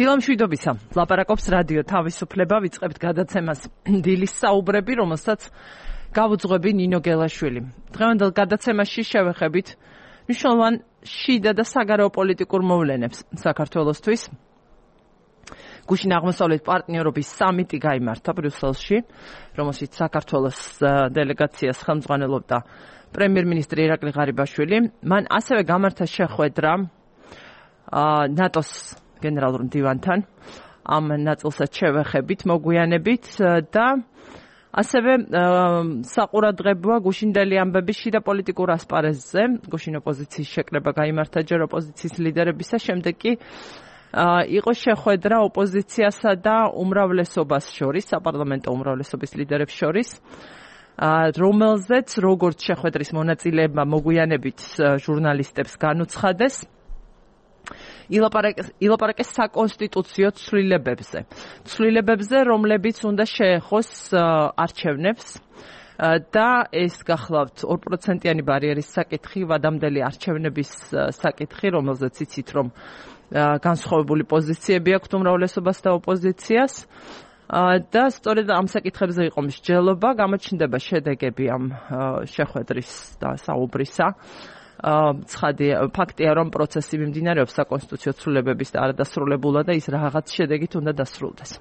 დილამშვიდობისა. ლაპარაკობს რადიო თავისუფლება, ვიწყებთ გადაცემას დილის საუბრები, რომელსაც გავუძღვები ნინო გელაშვილი. დღევანდელ გადაცემაში შევეხებით მნიშვნელოვან შიდა და საგარეო პოლიტიკურ მოვლენებს საქართველოსთვის. გუშინ აღმოსავლეთ პარტნიორობის სამიტი გაიმართა ბრიუსელში, რომელშიც საქართველოს დელეგაციას ხელმძღვანელობდა პრემიერ-მინისტრი ირაკლი ღარიბაშვილი. მან ასევე გამართა შეხვედრა ნატოს გენერალურ მდივანთან, ამ ნაწილსაც შევეხებით, მოგვიანებით და ასევე საყურადღებოა გუშინდელი ამბების შიდა პოლიტიკურ ასპარეზზე. გუშინ ოპოზიციის შეკრება გაიმართა ჯერ ოპოზიციის ლიდერებისა, შემდეგ კი იყო შეხვედრა ოპოზიციასა და უმრავლესობას შორის, საპარლამენტო უმრავლესობის ლიდერებს შორის, რომელზეც როგორც შეხვედრის მონაწილეებმა მოგვიანებით ჟურნალისტებს განუცხადეს, ილაპარაკეს საკონსტიტუციო ცვლილებებზე, რომლებიც უნდა შეეხოს არჩევნებს და ეს გახლავთ 2%-იანი ბარიერის საკითხი, ვადამდელი არჩევნების საკითხი, რომელზეც იცით, რომ განსხვავებული პოზიციები აქვს უმრავლესობას და ოპოზიციას და სწორედ ამ საკითხებზე იყო მსჯელობა, გამოჩნდება შედეგები ამ შეხვედრის და საუბრისა. ცხადი ფაქტია, რომ პროცესი მიმდინარეობს საკონსტიტუციო ცვლილებების და არადასრულებულა და ის რაღაც შედეგით უნდა დასრულდეს.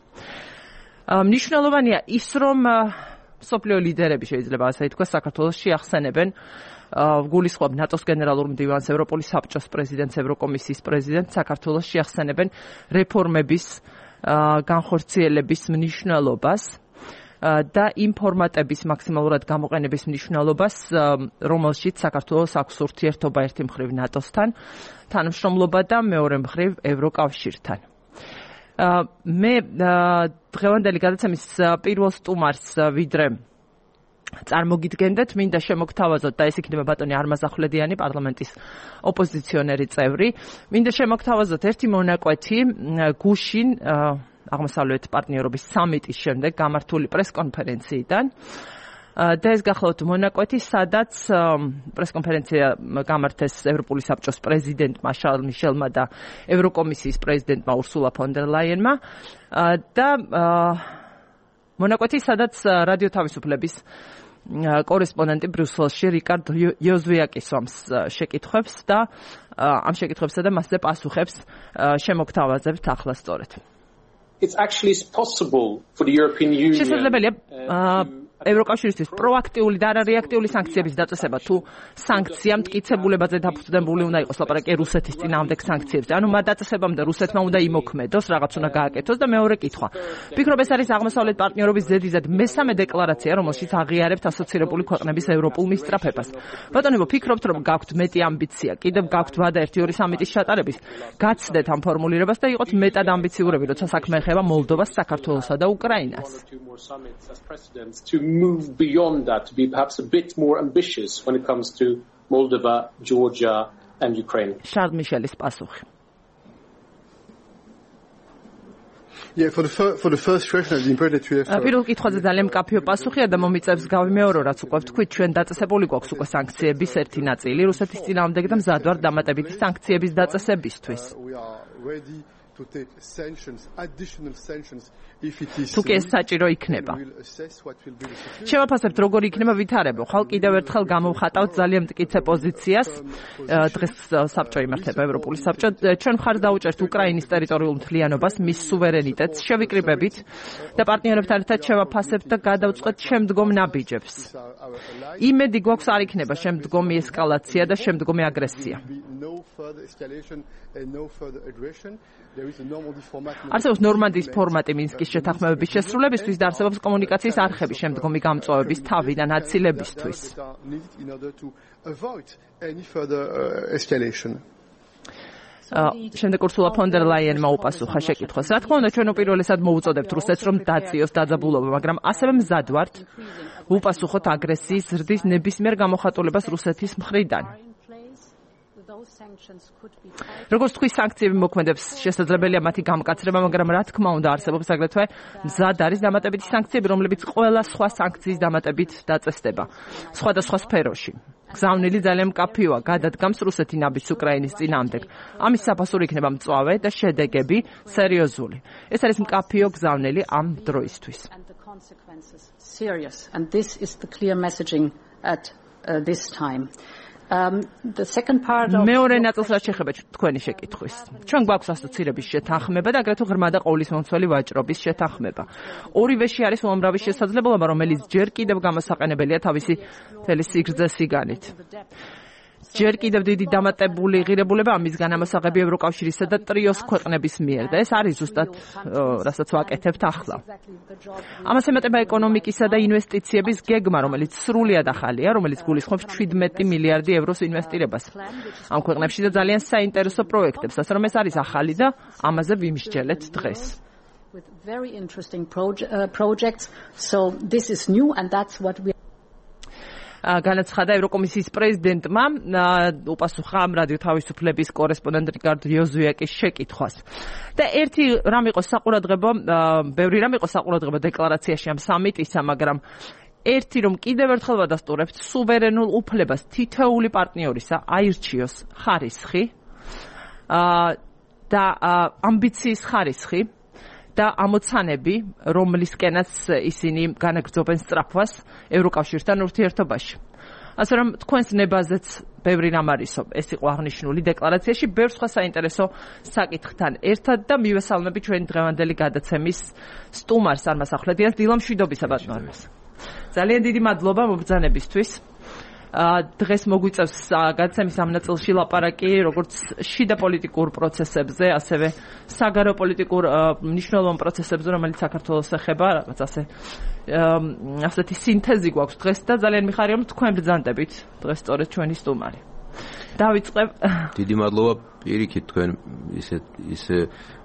მნიშვნელოვანია ის, რომ მსოფლიო ლიდერები შეიძლება ასე ითქვას, საქართველოს შეახსენებენ გულისხმობ ნატოს გენერალურ მდივანს, ევროპული საბჭოს პრეზიდენტს, ევროკომისიის პრეზიდენტს, საქართველოს შეახსენებენ რეფორმების განხორციელების მნიშვნელობას და იმ ფორმატების მაქსიმალურად გამოყენების მნიშვნელობას, რომელშიც საქართველოს აქვს ურთიერთობა ერთი მხრივ ნატოსთან, თანამშრომლობა და მეორე მხრივ ევროკავშირთან. მე დღევანდელი გადაცემის პირველ სტუმარს ვიდრე წარმოგიდგენდეთ, მინდა შემოგთავაზოთ და ეს იქნება ბატონი არმაზ ახვლედიანი, პარლამენტის ოპოზიციონერი წევრი. მინდა შემოგთავაზოთ ერთი მონაკვეთი გუშინ აღმოსავლეთ პარტნიორობის სამიტის შემდეგ გამართული პრესკონფერენციიდან. და ეს გახლავთ მონაკვეთი, სადაც პრესკონფერენცია გამართეს ევროპული საბჭოს პრეზიდენტმა შარლ მიშელმა და ევროკომისიის პრეზიდენტმა ურსულა ფონ დერ ლაიენმა და მონაკვეთი, სადაც რადიო თავისუფლების კორესპონდენტი ბრიუსელში რიკარდ იოზვიაკისვამს შეკითხვებს და ამ შეკითხვებსა და მასზე პასუხებს შემოგთავაზებთ ახლა სწორედ. It's actually possible for the European Union. შესაძლებელია ევროკავშირისთვის პროაქტიული და არარეაქტიული სანქციების დაწესება, თუ სანქცია მტკიცებულებაზე დაფუძნებული უნდა იყოს, ლაპარაკია რუსეთის წინააღმდეგ სანქციებზე. ანუ მათ დაწესებამდე რუსეთმა უნდა იმოქმედოს, რაღაც უნდა გააკეთოს და მეორე კითხვა. ვფიქრობ, ეს არის აღმოსავლეთ პარტნიორობის ზედიზედ მესამე დეკლარაცია, რომელშიც აღიარებთ ასოცირებული ქვეყნების ევროპულ მისწრაფებას. ბატონებო, ფიქრობთ, რომ გაქვთ მეტი ამბიცია, კიდევ გაქვთ ვადა 1-2 სამიტის ჩატარების, გაცდეთ ამ ფორმულირებას და იყოთ მეტად ამბიციურები, როცა საქმე ეხება მოლდოვას, საქართველოსა და უკრაინას. Move beyond that, to be perhaps a bit more ambitious when it comes to Moldova, Georgia and Ukraine. Charles Michelis პასუხი. Yeah, for the first question, it's important to have. პირველ კითხვაზე ძალიან მკაფიო პასუხია და მომიწევს გავიმეორო, რაც უკვე ვთქვით, ჩვენ დაწესებული გვაქვს უკვე სანქციების ერთი ნაწილი რუსეთის წინააღმდეგ და მზად ვართ დამატებითი სანქციების დაწესებისთვის. We are ready to take sanctions, additional sanctions. თუ კი ეს საჭირო იქნება. შევაფასებთ, როგორ იქნება ვითარება. ხალ კიდევ ერთხელ გამოვხატავთ ძალიან მტკიცე პოზიციას. დღეს საბჭო იმართება, ევროპული საბჭო. ჩვენ მხარს დაუჭერთ უკრაინის ტერიტორიულ მთლიანობას, მის სუვერენიტეტს, შევიკრიბებით და პარტნიორებთან ერთად შევაფასებთ და გადავწყვეტ შემდგომ ნაბიჯებს. იმედი გვაქვს არ იქნება შემდგომი ესკალაცია და შემდგომი აგრესია. არსებობს ნორმანდიის ფორმატი მინსკის შეთანხმებების შესრულებისთვის და არსებობს კომუნიკაციის არხები შემდგომი გამწვავების თავი და ნაცილებისთვის. შემდეგ ურსულა ფონ დერ ლაიენმა უპასუხა შეკითხვას. რა თქმა უნდა, ჩვენ უპირველესად მოუწოდებთ რუსეთს, რომ დააციოს დაძაბულობა, მაგრამ ასევე მზად ვართ ვუპასუხოთ აგრესიის ზრდის ნებისმიერ გამოხატულებას რუსეთის მხრიდან. როგორც თქვი, სანქციები მოქმედებს, შესაძლებელია მათი გამკაცრება, მაგრამ რა თქმა უნდა, არსებობს აგრეთვე მზად არის დამატებითი სანქციები, რომლებიც ყველა სხვა სანქციის დამატებით დაწესდება სხვადასხვა სფეროში. გზავნილი ძალიან მკაფიოა, გადადგამს რუსეთი ნაბიჯს უკრაინის წინააღმდეგ. ამის საფასური იქნება მწვავე და შედეგები სერიოზული. ეს არის მკაფიო გზავნილი ამ დროისთვის. And this is the clear messaging at this time. The second part of მეორე ნაწილს რაც შეეხება თქვენი შეკითხვის. ჩვენ გვაქვს ასოცირების შეთანხმება და აგრეთვე ღრმა და ყოვლისმომცველი ვაჭრობის შეთანხმება. ორივეში არის უამრავი შესაძლებლობა, რომელიც ჯერ კიდევ გამოსაყენებელია თავისი მთელი სიგრძე-სიგანით. ჯერ კიდევ დიდი დამატებული ღირებულება ამის განამოსაღები ევროკავშირისა და ტრიოს ქვეყნების მიერ და ეს არის ზუსტად რასაც ვაკეთებთ ახლა. ამას ემატება ეკონომიკისა და ინვესტიციების გეგმა, რომელიც სრულიად ახალია, რომელიც გულისხმობს 17 მილიარდი ევროს ინვესტირებას ამ ქვეყნებში და ძალიან საინტერესო პროექტებს, ასე რომ ეს არის ახალი და ამაზე ვიმსჯელეთ დღეს. With very interesting projects, so this is new and that's what we განაცხადა ევროკომისიის პრეზიდენტმა უპასუხა ამ რადიო თავისუფლების კორესპონდენტ რიკარდ იოზუაკის შეკითხვას. და ერთი რამ იყო საყურადღებო, ბევრი რამ იყო საყურადღებო დეკლარაციაში ამ სამიტისა, მაგრამ ერთი რომ კიდევ ერთხელ ვადასტურებთ სუვერენულ უფლებას თითოეული პარტნიორისა აირჩიოს ხარისხი და ამბიციის ხარისხი და ამოცანები, რომლისკენაც ისინი განაგრძობენ სწრაფვას ევროკავშირთან ურთიერთობაში. ასე რომ თქვენს ნებაზეც ბევრი რამ არისო, ეს იყო აღნიშნული დეკლარაციაში, ბევრ სხვა საინტერესო საკითხთან ერთად და მივესალმები ჩვენი დღევანდელი გადაცემის სტუმარს წარმოსახლებიას დილამ შვიდობისა ბატონოს. ძალიან დიდი მადლობა მობრძანებისთვის. დღეს მოგვიწევს გადაცემის ამ ნაწილში ლაპარაკი როგორც შიდა პოლიტიკურ პროცესებზე, ასევე საგარეო პოლიტიკურ მნიშვნელოვან პროცესებზე, რომელიც საქართველოს ეხება, რაღაც ასეთი სინთეზი გვაქვს დღეს და ძალიან მიხარია რომ თქვენ ბრძანდებით დღეს სწორედ ჩვენი სტუმარი. დავიწყებ. დიდი მადლობა პირიქით თქვენ ისე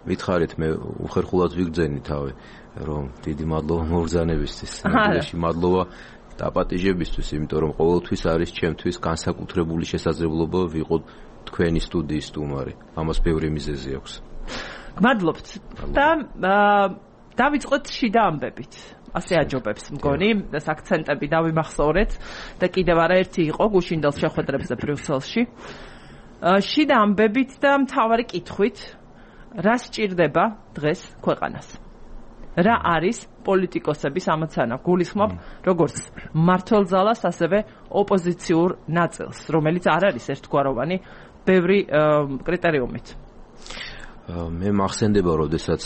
მითხარით, მე უხერხულად ვიგრძენი თავი, რომ დიდი მადლობა მობრძანებისთვის. ნამდვილად მადლობა დაპატიჟებისთვის, იმიტომ რომ ყოველთვის არის ჩემთვის განსაკუთრებული შესაძლებლობა ვიყო თქვენი სტუდიის სტუმარი. ამას ბევრი მიზეზი აქვს. გმადლობთ. და დავიწყოთ შიდა ამბებით. ასე აჯობებს მგონი, ეს აქცენტები დავიმახსოვრეთ და კიდევ არაერთი იყო გუშინდელ შეხვედრებზე ბრიუსელში. შიდა ამბებით და მთავარი კითხვით, რა სჭირდება დღეს ქვეყანას? რა არის პოლიტიკოსების ამოცანა? გულისხმობ როგორც მმართველ ძალას, ასევე ოპოზიციურ ნაწილს, რომელიც არ არის ერთგვაროვანი ბევრი კრიტერიუმით. მე მახსენდება, როდესაც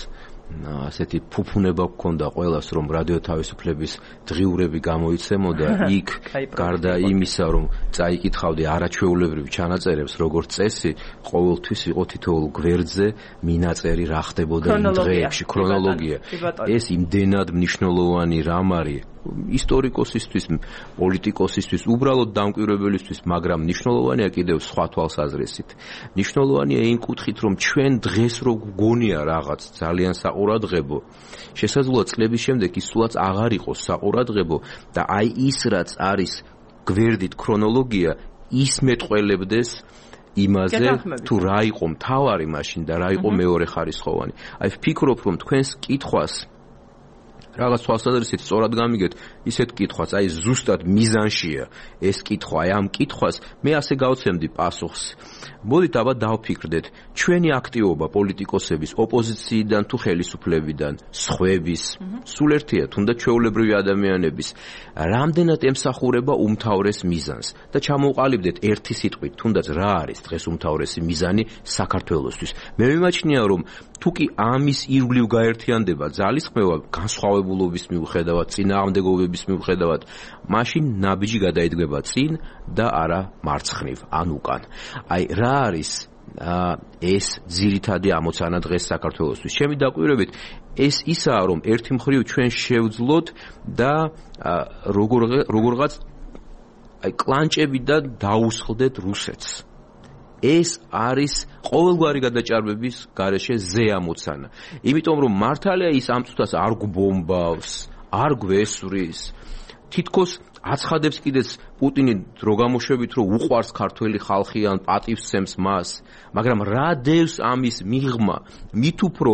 ასეთი ფუფუნება გქონდა ყველას, რომ რადიო თავისუფლების დღიურები გამოიცემოდა, იქ გარდა იმისა, რომ წაიკითხავდი არაჩვეულებრივ ჩანაწერებს, როგორც წესი, ყოველთვის იყო თითოეულ გვერდზე მინაწერი რა ხდებოდა იმ დღეებში, ქრონოლოგია. ეს იმდენად მნიშვნელოვანი რამ არის ისტორიკოსისთვის, პოლიტიკოსისთვის, უბრალოდ დამკვირვებელისთვის, მაგრამ მნიშვნელოვანია კიდევ სხვა თვალსაზრისით. მნიშვნელოვანია იმ კუთხით, რომ ჩვენ დღეს რო გგონია რაღაც ძალიან საყურადღებო, შესაძლოა წლების შემდეგ ის სულაც აღარ იყოს საყურადღებო და აი ის რაც არის გვერდით ქრონოლოგია, ის მეტყველებდეს იმაზე, თუ რა იყო მთავარი მაშინ და რა იყო მეორე ხარისხოვანი. აი ვფიქრობ, რომ თქვენს კითხვას რაღაც თვალსაზრისით სწორად გამიგეთ, ისეთ კითხვას, აი ზუსტად მიზანშია ეს კითხვა, აი ამ კითხვას მე ასე გავცემდი პასუხს. მოდით აბა დავფიქრდეთ, ჩვენი აქტივობა პოლიტიკოსების, ოპოზიციიდან თუ ხელისუფლებიდან, სხვების, სულ ერთია, თუნდაც ჩვეულებრივი ადამიანების, რამდენად ემსახურება უმთავრეს მიზანს და ჩამოვყალიბდეთ ერთი სიტყვით, თუნდაც რა არის დღეს უმთავრესი მიზანი საქართველოსთვის. მე მიმაჩნია, რომ თუ კი ამის ირგვლივ გაერთიანდება ძალისხმევა განსხვავებულობის მიუხედავად, წინააღმდეგობების მიუხედავად, მაშინ ნაბიჯი გადაიდგება წინ და არა მარცხნივ, ან უკან. აი რა არის ეს ძირითადი ამოცანა დღეს საქართველოსთვის? ჩემი დაკვირვებით ეს ისაა, რომ ერთი მხრივ ჩვენ შევძლოთ და როგორღაც აი კლანჭებიდან დაუსხლდეთ რუსეთს. ეს არის ყოველგვარი გადაჭარბების გარეშე ზე ამოცანა. იმიტომ რომ მართალია ის ამ წუთას არ გვბომბავს, არ გვესვრის, თითქოს აცხადებს კიდეც პუტინი რო გამოშვებით, რომ უყვარს ქართველი ხალხი ან პატივს სცემს მას, მაგრამ რა დევს ამის მიღმა? მით უფრო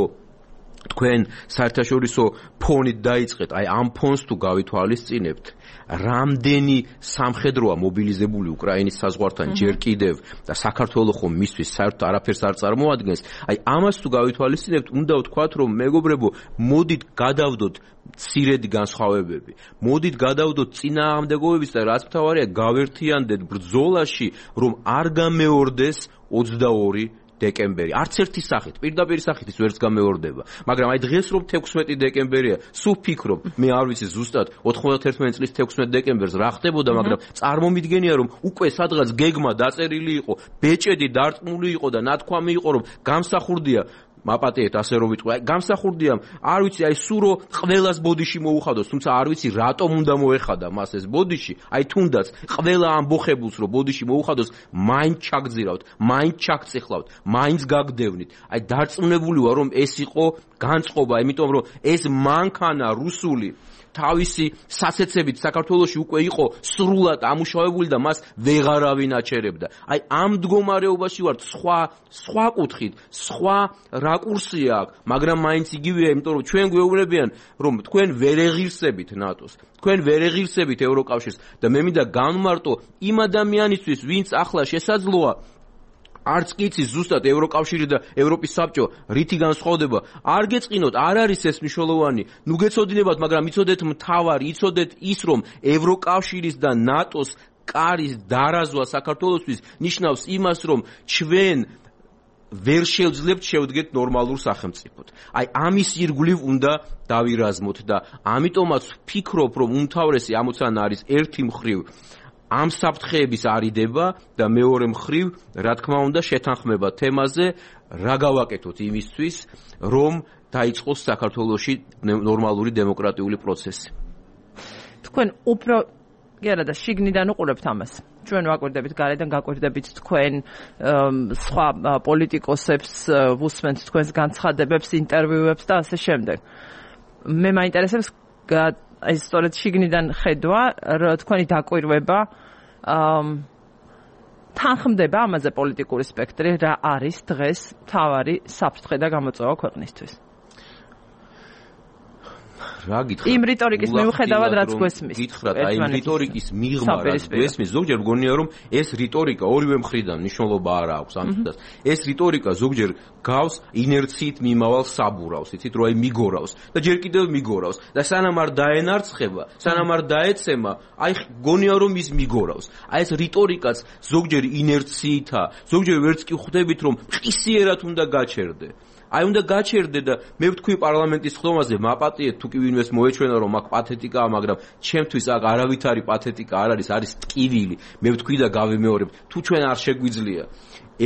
თქვენ საერთაშორისო ფონით დაიწყეთ, აი ამ ფონს თუ გავითვალისწინებთ, რამდენი სამხედროა მობილიზებული უკრაინის საზღვართან ჯერ კიდევ და საქართველოს ხომ მისთვის საერთოდ არაფერს არ წარმოადგენს, აი ამას თუ გავითვალისწინებთ, უნდა ვთქვათ, რომ მეგობრებო, მოდით გადავდოთ მცირედი განსხვავებები. მოდით გადავდოთ წინააღმდეგობების და რაც მთავარია, გავერთიანდეთ ბრძოლაში, რომ არ გამეორდეს 22 დეკემბერი. არც ერთი სახით, პირდაპირ სახით ის ვერც გამეორდება. მაგრამ აი დღეს რომ 16 დეკემბერია, სულ ფიქრობ, მე არ ვიცი ზუსტად 91 წლის 16 დეკემბერს რა ხდებოდა, მაგრამ წარმომიდგენია რომ უკვე სადღაც გეგმა დაწერილი იყო, ბეჭედი დარწმული იყო და ნათქვამი იყო რომ გამსახურდია მაპატიეთ ასე რომ ვიტყვი, გამსახურდია, არ ვიცი, აი სურო ყველას ბოდიში მოუხადოს, თუმცა არ ვიცი რატომ უნდა მოეხადა მას ეს ბოდიში, აი თუნდაც ყველა ამბოხებულს რომ ბოდიში მოუხადოს, მაინც ჩაგძირავთ, მაინც ჩაგწეხლავთ, მაინც გაგდევნით. აი დარწმუნებული ვარ რომ ეს იყო განწყობა, იმიტომ რომ ეს მანქანა რუსული თავისი სასეცებით საქართველოში უკვე იყო სრულად ამუშავებული და მას ვეღარავინ აჩერებდა. აი ამ მდგომარეობაში ვართ, სხვა კუთხით, სხვა რაკურსია აქვს, მაგრამ მაინც იგივეა, იმიტომ რომ ჩვენ გვეუბნებიან, რომ თქვენ ვერ ეღირსებით ნატოს, თქვენ ვერ ეღირსებით ევროკავშირს და მე მინდა განმარტო იმ ადამიანისთვის, ვინც ახლა შესაძლოა არც კი იცის ზუსტად ევროკავშირი და ევროპის საბჭო რითი განსხვავდება, არ გეწყინოთ, არ არის ეს მნიშვნელოვანი, ნუ გეცოდინებათ, მაგრამ იცოდეთ მთავარი, იცოდეთ ის, რომ ევროკავშირის და ნატოს კარის დარაზვა საქართველოსთვის ნიშნავს იმას, რომ ჩვენ ვერ შევძლებთ შევდგეთ ნორმალურ სახელმწიფოდ. აი ამის ირგვლივ უნდა დავირაზმოთ და ამიტომაც ვფიქრობ, რომ უმთავრესი ამოცანა არის ერთი მხრივ ამ საფრთხეების არიდება და მეორე მხრივ, რა თქმა უნდა, შეთანხმება თემაზე, რა გავაკეთოთ იმისთვის, რომ დაიწყოს საქართველოში ნორმალური დემოკრატიული პროცესი. თქვენ უფრო გერა და შიგნიდან უყურებთ ამას. ჩვენ ვაკვირდებით გარედან, გაკვირდებით თქვენ სხვა პოლიტიკოსებს, ვუსმენთ თქვენს განცხადებებს, ინტერვიუებს და ასე შემდეგ. მე მაინტერესებს აი სწორედ შიგნიდან ხედვა, თქვენი დაკვირვება თანხმდება ამაზე პოლიტიკური სპექტრი, რა არის დღეს მთავარი საფრთხე და გამოწვევა ქვეყნისთვის. რა გითხრათ? იმ რიტორიკის მიუხედავად, რაც გვესმის. გითხრათ, აი იმ რიტორიკის მიღმა, რაც გვესმის, ზოგჯერ მგონია, რომ ეს რიტორიკა ორივე მხრიდან მნიშვნელობა არ აქვს ამიტომაც. ეს რიტორიკა ზოგჯერ გავს ინერციით მიმავალ საბურავს, იცით, რომ აი მიგორავს და ჯერ კიდევ მიგორავს და სანამ არ დაენარცხება, სანამ არ დაეცემა, აი მგონია, რომ ის მიგორავს. აი ეს რიტორიკაც ზოგჯერ ინერციითა, ზოგჯერ ვერც კი ხვდებით, რომ ყისიერად უნდა გაჩერდე. აი უნდა გაჩერდე და მე ვთქვი პარლამენტის ხდომაზე, მაპატიეთ თუ კი ვინმეს მოეჩვენა რომ აქ პათეტიკაა, მაგრამ ჩემთვის აქ არავითარი პათეტიკა არ არის, არის ტკივილი. მე ვთქვი და გავიმეორებ, თუ ჩვენ არ შეგვიძლია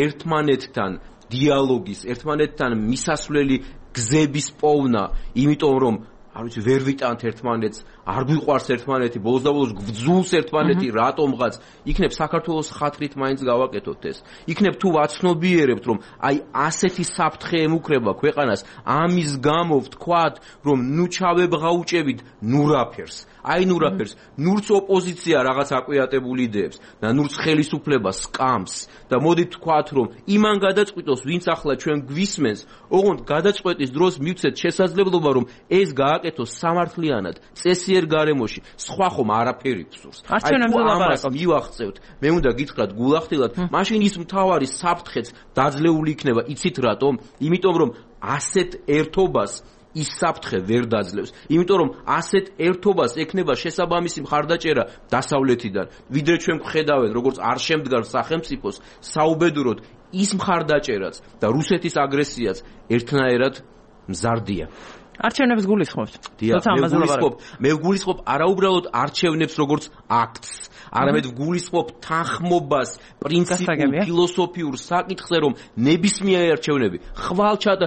ერთმანეთთან დიალოგის, ერთმანეთთან მისასვლელი გზების პოვნა, იმიტომ რომ არ ვიცი, ვერ ვიტანთ ერთმანეთს, არ გვიყვარს ერთმანეთი, ბოლოს და ბოლოს გვძულს ერთმანეთი, რატომღაც, იქნებ საქართველოს ხათრით მაინც გავაკეთოთ ეს. იქნებ თუ ვაცნობიერებთ, რომ აი ასეთი საფრთხე ემუქრება ქვეყანას, ამის გამო ვთქვათ, რომ ნუ ჩავებღაუჭებით ნურაფერს. აი ნურაფერს, ნურც ოპოზიცია რაღაც აკვიატებული იდეებს და ნურც ხელისუფლება სკამს და მოდით ვთქვათ, რომ იმან გადაწყვიტოს, ვინც ახლა ჩვენ გვისმენს, ოღონდ გადაწყვეტის დროს მივცეთ შესაძლებლობა, რომ ეს გააკეთოს სამართლიანად, წესიერ გარემოში, სხვა ხომ არაფერი გსურს. აი ამას მივახცევთ, მე უნდა გითხრათ გულახდილად, მაშინ ის მთავარი საფრთხეც დაძლეული იქნება, იცით რატომ? იმიტომ რომ ასეთ ერთობას ის საფრთხე ვერ დაძლევს. იმიტომ რომ ასეთ ერთობას ექნება შესაბამისი მხარდაჭერა დასავლეთიდან. ვიდრე ჩვენ ვხედავთ, როგორც არ შემდგარ სახელმწიფოს, საუბედუროდ ის მხარდაჭერაც და რუსეთის აგრესიაც ერთნაირად მზარდია. არჩევნებს გულისხმობთ. მე ვგულისხმობ არაუბრალოდ არჩევნებს როგორც აქტს, არამედ ვგულისხმობ თანხმობას პრინციპულ ფილოსოფიურ საკითხზე, რომ ნებისმიერი არჩევნები ხვალჩად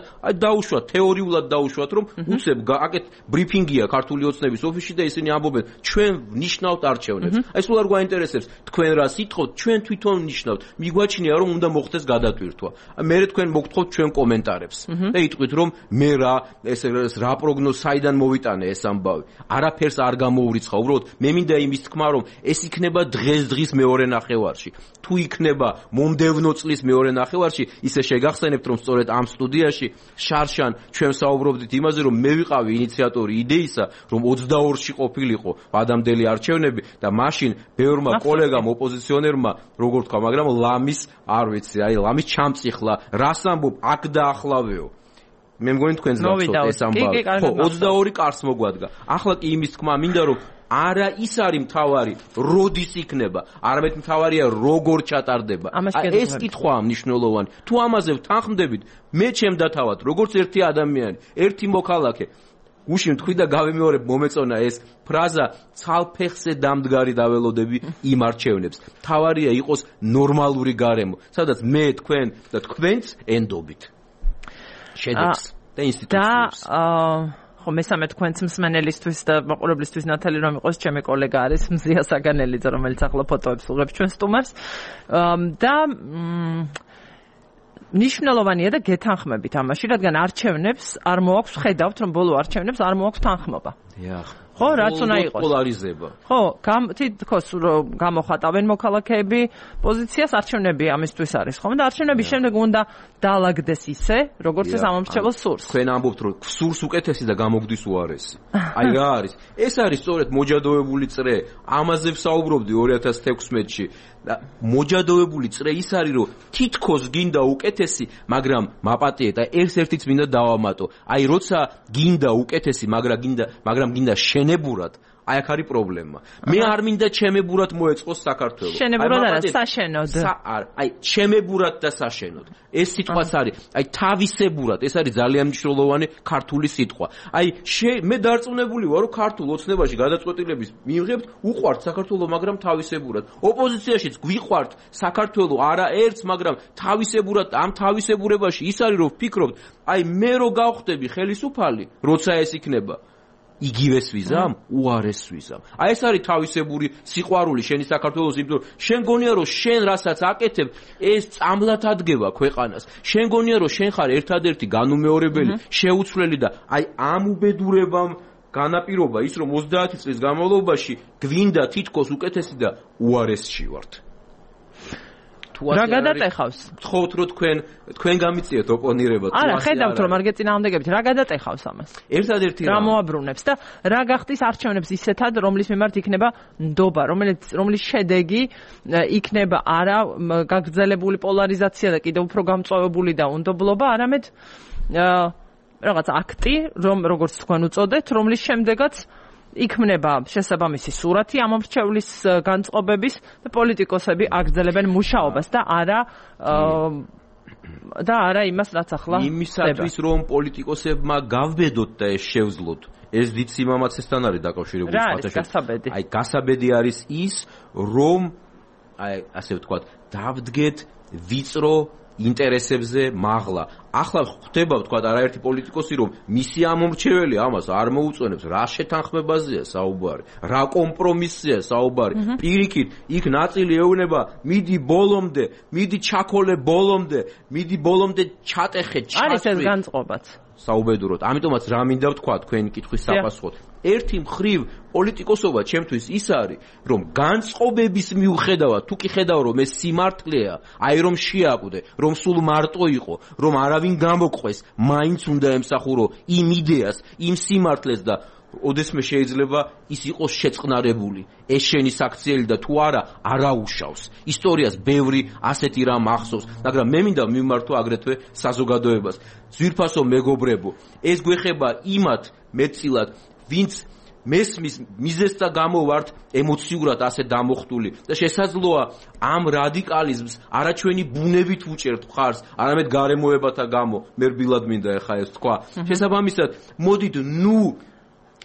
დაუშვათ, თეორიულად დაუშვათ, რომ უცებ აკეთ ბრიფინგია ქართული ოცნების ოფისში და ისინი ამბობენ, ჩვენ ვნიშნავთ არჩევნებს. აი სულ არ გვაინტერესებს თქვენ რა სიტყვით, ჩვენ თვითონ ვნიშნავთ. მიგვაჩნია რომ უნდა მოხდეს გადატვირთვა. მე თქვენ მოგთხოვთ ჩვენ კომენტარებს და იტყვით რომ მე რა ეს რა პროგნოზ საიდან მოვიტანე ეს ამბავი არაფერს არ გამოურიცხა უბრალოდ მე მინდა იმის თქმა რომ ეს იქნება დღეს მეორე ნახევარში თუ იქნება მომდევნო წლის მეორე ნახევარში ისე შეგახსენებთ რომ სწორედ ამ სტუდიაში შარშან ჩვენ საუბრობდით იმაზე რომ მე ვიყავი ინიციატორი იდეისა რომ 22-ში ყოფილიყო ადამიანელი არჩევნები და მაშინ ბევრმა კოლეგამ ოპოზიციონერმა როგორ თქვა მაგრამ ლამის არ ვიცი აი ლამის ჩამწიხლა რას ამბობ აქ და ახლავეო მე მგონი თქვენს გახსოვთ ეს ამბავი ხო 22 კარს მოგვადგა ახლა კი იმის თქმა მინდა რომ არა ის არის მთავარი როდის იქნება არამედ მთავარია როგორ ჩატარდება ეს კითხვაა მნიშვნელოვანი თუ ამაზე ვთანხმდებით მე ჩემ დათავად როგორც ერთი ადამიანი ერთი მოქალაქე გუშინ თქვი და გავიმეორებ მომეწონა ეს ფრაზა ცალფეხზე დამდგარი დაველოდები იმ არჩევნებს მთავარია იყოს ნორმალური გარემო სადაც მე თქვენ და თქვენც ენდობით შედეგს და ინსტიტუციებს ხო მესამე თქვენც მსმენელისთვის და მაყურებლისთვის ნათელი რომ იყოს ჩემი კოლეგა არის მზია საგანელიძე რომელიც ახლა ფოტოებს უღებს ჩვენ სტუმარს და ნიშნულოვანია და გეთანხმებით ამაში რადგან არჩევნებს არ მოაქვს ხედავთ რომ ბოლო არჩევნებს არ მოაქვს თანხმობა ხო რაც უნდა იყოს პოლარიზება ხო თითქოს გამოხატავენ მოქალაქეები პოზიციას არჩევნები ამისთვის არის ხომ და არჩევნების შემდეგ უნდა დაალაგდეს ისე როგორც ეს ამომრჩეველ სურს თქვენ ამბობთ რომ სურს უკეთესი და გამოგდის უარესი აი რა არის ეს არის სწორედ მოჯადოებული წრე ამაზე ვსაუბრობდი 2016-ში და მოჯადოებული წრე ის არის რომ თითქოს გინდა უკეთესი მაგრამ მაპატიე და ერთ-ერთიც მინდა დავამატო აი როცა გინდა უკეთესი მაგრამ გინდა შენებურად აი აქ არის პრობლემა მე არ მინდა ჩემებურად მოეწყოს საქართველო შენებურად არა საშენოდ აი ჩემებურად და საშენოდ ეს სიტყვაც არის აი თავისებურად ეს არის ძალიან მნიშვნელოვანი ქართული სიტყვა აი მე დარწმუნებული ვარ რომ ქართულ ოცნებაში გადაწყვეტილების მიიღებთ უყვართ საქართველო მაგრამ თავისებურად ოპოზიციაშიც გვიყვართ საქართველო არა ერთს მაგრამ თავისებურად ამ თავისებურებაში ის არის რომ ვფიქრობთ აი მე რო გავხდები ხელისუფალი როცა ეს იქნება იგივეს ვიზამ, უარეს ვიზამ. აი ეს არის თავისებური სიყვარული შენი საქართველოს იმიტომ რომ შენ გონია რომ შენ რასაც აკეთებ ეს წამლად ადგება ქვეყანას. შენ გონია რომ შენ ხარ ერთადერთი განუმეორებელი, შეუცვლელი და აი ამ უბედურებამ განაპირობა ის რომ 30 წლის განმავლობაში გვინდა თითქოს უკეთესი და უარესში ვართ. რა გადატეხავს? ვთხოვთ რომ თქვენ გამიწიეთ ოპონირება. არა, ხედავთ რომ არ გეწინააღმდეგებით, რა გადატეხავს ამას? ერთადერთი რა მოაბრუნებს და რა გახდის არჩევნებს ისეთად, რომლის მიმართ იქნება ნდობა, რომლის შედეგი იქნება არა გაგრძელებული პოლარიზაცია და კიდევ უფრო გამწვავებული და უნდობლობა, არამედ რაღაც აქტი, როგორც თქვენ უწოდეთ, რომლის შემდეგაც იქმნება შესაბამისი სურათი ამომრჩევლის განწყობების და პოლიტიკოსები აგრძელებენ მუშაობას და არა იმას რაც ახლა იმისათვის რომ პოლიტიკოსებმა გავბედოთ და ეს შევძლოთ ეს დიდ სიმამაცესთან არის დაკავშირებული აი გასაბედი არის ის რომ აი ასე ვთქვათ დავდგეთ ვიწრო ინტერესებზე მაღლა. ახლა ხდება ვთქვათ არაერთი პოლიტიკოსი რომ მისი ამომრჩეველი ამას არ მოუწონებს, რა შეთანხმებაზეა საუბარი, რა კომპრომისია საუბარი. პირიქით, იქ ნაწილი ეუბნება, მიდი ბოლომდე, მიდი ჩაქოლე ბოლომდე, მიდი ბოლომდე ჩატეხე, ჩასვი. არის ეს განწყობაც. საუბედუროდ. ამიტომაც რა მინდა ვთქვა თქვენი კითხვის საპასუხოდ. ერთი მხრივ პოლიტიკოსობა ჩემთვის ის არის, რომ განწყობების მიუხედავად, თუ კი ხედავ რომ ეს სიმართლეა, აი რომ შეაკვდე, რომ სულ მარტო იყო, რომ არავინ გამოგყვეს, მაინც უნდა ემსახურო იმ იდეას, იმ სიმართლეს და ოდესმე შეიძლება ის იყოს შეწყნარებული. ეს შენი საქციელი და თუ არა, არაუშავს. ისტორიას ბევრი ასეთი რამ ახსოვს, მაგრამ მე მინდა მიმართო აგრეთვე საზოგადოებას. ძვირფასო მეგობრებო, ეს გვეხება იმათ მეტწილად, ვინც მესმის მიზეზთა გამო ვართ ემოციურად ასე დამოხტული და შესაძლოა ამ რადიკალიზმს არაჩვენი ბუნებით ვუჭერთ მხარს, არამედ გარემოებათა გამო. მე რბილად მინდა ეხა ეს თქვა. შესაბამისად, მოდით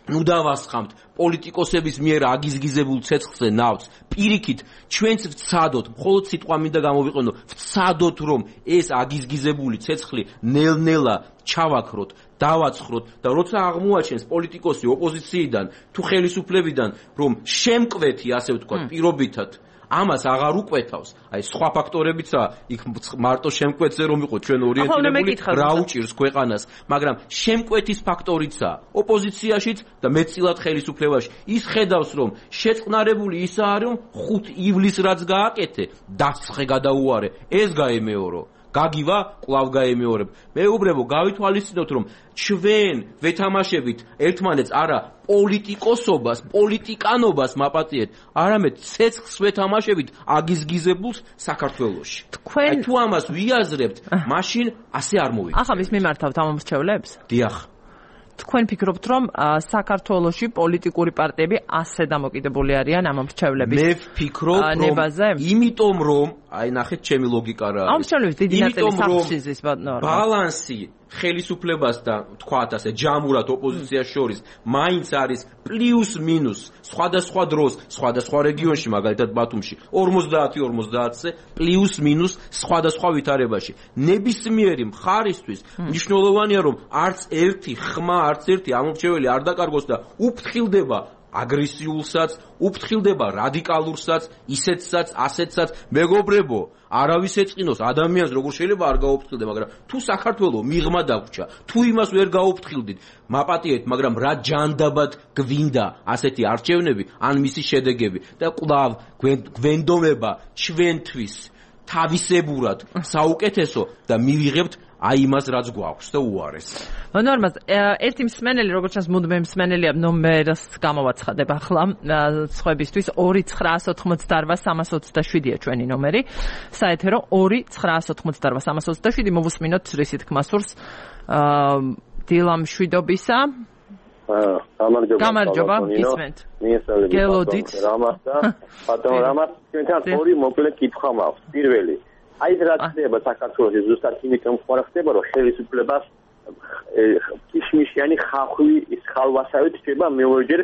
ნუ დავასხამთ პოლიტიკოსების მიერ აგიზგიზებულ ცეცხლზე ნავთს. პირიქით, ჩვენც ვცადოთ, მხოლოდ სიტყვა მინდა გამოვიყენო, ვცადოთ რომ ეს აგიზგიზებული ცეცხლი ნელ-ნელა ჩავაქროთ, დავაცხროთ და როცა აღმოაჩენს პოლიტიკოსი ოპოზიციიდან თუ ხელისუფლებიდან, რომ შემკვეთი, ასე ვთქვათ, პირობითად ამას აღარ უკვეთავს. აი სხვა ფაქტორებიცაა, იქ მარტო შემკვეთზე რომ იყო ჩვენ ორიენტირებული, რა უჭირს ქვეყანას, მაგრამ შემკვეთის ფაქტორიცაა. ოპოზიციაშიც და მეტწილად ხელისუფლებაში. ის ხედავს, რომ შეწყნარებული ისაა, რომ 5 ივლისს რაც გააკეთე, დასწრე გადაუარე, ეს გაემეორო. გაგივა, კვლავ გაემეორებ. მეუბრებო, გავითვალისწინოთ, რომ ჩვენ ვეთამაშებით ერთმანეთს არა პოლიტიკოსობას, პოლიტიკანობას მაპატიეთ, არამედ ცეცხლს ვეთამაშებით აგიზგიზებულს საქართველოში. აი თუ ამას ვიაზრებთ, მაშინ ასე არ მოვიდა. ახლა ვის მიმართავთ ამ მრჩევლებს? დიახ. თქვენ ფიქრობთ, რომ საქართველოში პოლიტიკური პარტიები ასე დამოკიდებული არიან ამ მრჩევლების? მე ვფიქრობ, რომ იმიტომ რომ აი ნახეთ ჩემი ლოგიკა რა არის. ამ მრჩევლების დიდი ნაწილი საფაშიზმის ბალანსი ხელისუფლებას და თქვათ ასე ჯამურად ოპოზიციას შორის მაინც არის პლუს მინუს სხვადასხვა დროს, სხვადასხვა რეგიონში, მაგალითად ბათუმში 50-50-ზე პლუს მინუს სხვადასხვა ვითარებაში. ნებისმიერი მხარისთვის მნიშვნელოვანია, რომ არც ერთი ხმა, არც ერთი ამორჩეველი არ დაკარგოს და უფრთხილდება აგრესიულსაც, უფრთხილდება რადიკალურსაც, ისეთსაც, ასეთსაც. მეგობრებო, არავის ეწყინოს ადამიანს როგორ შეიძლება არ გაუფრთხილდე, მაგრამ თუ საქართველოს მიღმა დაგვრჩა, თუ იმას ვერ გაუფრთხილდით, მაპატიეთ, მაგრამ რა ჯანდაბად გვინდა ასეთი არჩევნები, ან მისი შედეგები და კვლავ გვენდომება ჩვენთვის თავისებურად საუკეთესო და მივიღებთ აი იმას რაც გვაქვს და უარეს. ნორმას ერთი მსმენელი როგორც ჩანს მუდმივი მსმენელია ნომერს გამოვაცხადებ ახლა სხვებისთვის 2988327-ია ჩვენი ნომერი საეთერო 2988327 მოვუსმინოთ რისი თქმა სურს დილამ შვიდობისა გამარჯობა ისმენთ გელოდით რამას და ბატონ რამას ჩვენთან ორი მოკლე კითხვა მაქვს პირველი აი რა ხდება საქართველოს ზუსტად იმით რომ ხდება რომ ხელისუფლებას კიშმიშიანი ხახვი ის ხალვასავით ხდება მეორჯერ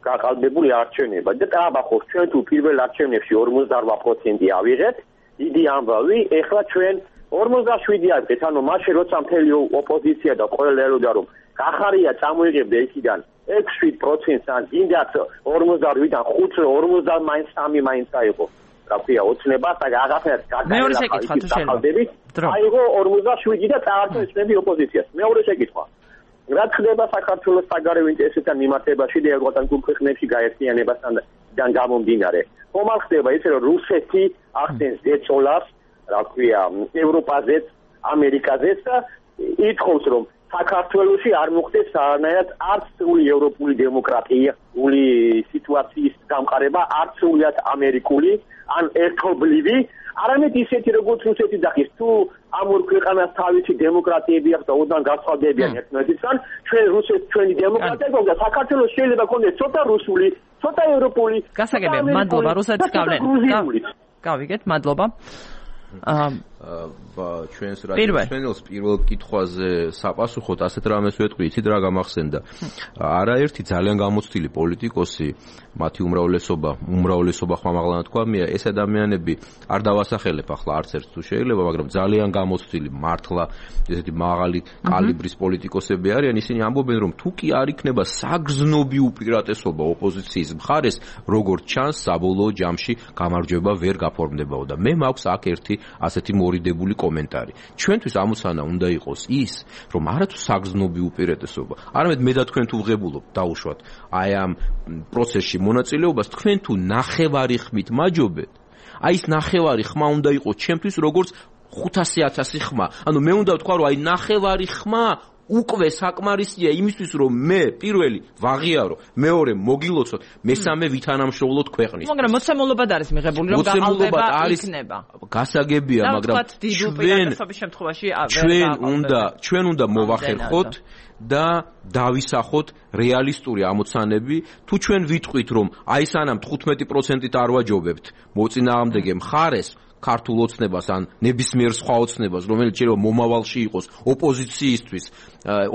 გაყალბებული არჩევნება და აბახოს ჩვენ თუ პირველ არჩევნებში 48% ავიღეთ დიდი ამბავი ეხლა ჩვენ 47 ავიღეთ ანუ მაშინ როცა მთელი ოპოზიცია და ყველა ეროდა რომ გახარია წამოიღებდა იქიდან 6-7%-ს ან გინდათ 48-დან 5-50 მაინც 3 მაინც აიღო რა ქვია ოცნებას და აღაფერს მეორე შეკითხვა თუ შეიძლება აიღო 47 და წაართვეს ნები ოპოზიციას მეორე შეკითხვა რა ხდება საქართველოს საგარეო ინტერესებთან მიმართებაში და ევროპასთან ქვეყნებში გაერთიანებასთან გამომდინარე ხომ არ ხდება ისე რომ რუსეთი ახდენს ზეწოლას რა ქვია ევროპაზეც ამერიკაზეც და ითხოვს რომ საქართველოში არ მოხდეს საერთოდ არც სრული ევროპული დემოკრატიული სიტუაციის გამყარება, არც სრულად ამერიკული, ან ერთობლივი, არამედ ისეთი როგორც რუსეთი დახის, თუ ამ ორ ქვეყანას თავისი დემოკრატიები აქვს და ოდან გასწავდებიან ერთმანეთისგან, ჩვენ რუსეთი ჩვენი დემოკრატია გვაქვს და საქართველოს შეიძლება ქონდეს ცოტა რუსული, ცოტა ევროპული. გასაგებია, მადლობა რუსეთს გავლენ. გავიგეთ, მადლობა. ჩვენს რადიოს პირველ კითხვაზე საპასუხოდ ასეთ რამეს ვეთქვი, იცით რა გამახსენდა. არაერთი ძალიან გამოცდილი პოლიტიკოსი, მათი უმრავლესობა ხმამაღლა თქვა, ეს ადამიანები არ დავასახელებ ახლა არც ერთ თუ შეიძლება, მაგრამ ძალიან გამოცდილი, მართლა ესეთი მაღალი კალიბრის პოლიტიკოსები არიან, ისინი ამბობენ, რომ თუ კი არ იქნება საგრძნობი უპირატესობა ოპოზიციის მხარეს, როგორც ჩანს, საბოლოო ჯამში გამარჯვება ვერ გაფორმდებაო და მე მაქვს აქ ერთი ასეთი მორიდებული კომენტარი. ჩვენთვის ამოცანა უნდა იყოს ის, რომ არათუ საგრძნობი უპირატესობა, არამედ მე და თქვენ თუ ვღებულობ დაუშვათ აი ამ პროცესში მონაწილეობას, თქვენ თუ ნახევარი ხმით მაჯობეთ, აი ეს ნახევარი ხმა უნდა იყოს ჩემთვის როგორც 500,000 ხმა. ანუ მე უნდა ვთქვა, რომ აი ნახევარი ხმა უკვე საკმარისია იმისთვის, რომ მე პირველი ვაღიარო, მეორე მოგილოცოთ, მესამე ვითანამშრომლოთ ქვეყნის. მაგრამ მოცემულობად არის მიღებული, რომ გაყალბება იქნება. გასაგებია, მაგრამ ჩვენ უნდა მოვახერხოთ და დავისახოთ რეალისტური ამოცანები. თუ ჩვენ ვიტყვით, რომ აი სანამ 15%-ით არ ვაჯობებთ მოწინააღმდეგე მხარეს ქართულ ოცნებას ან ნებისმიერ სხვა ოცნებას, რომელიც შეიძლება მომავალში იყოს ოპოზიციისთვის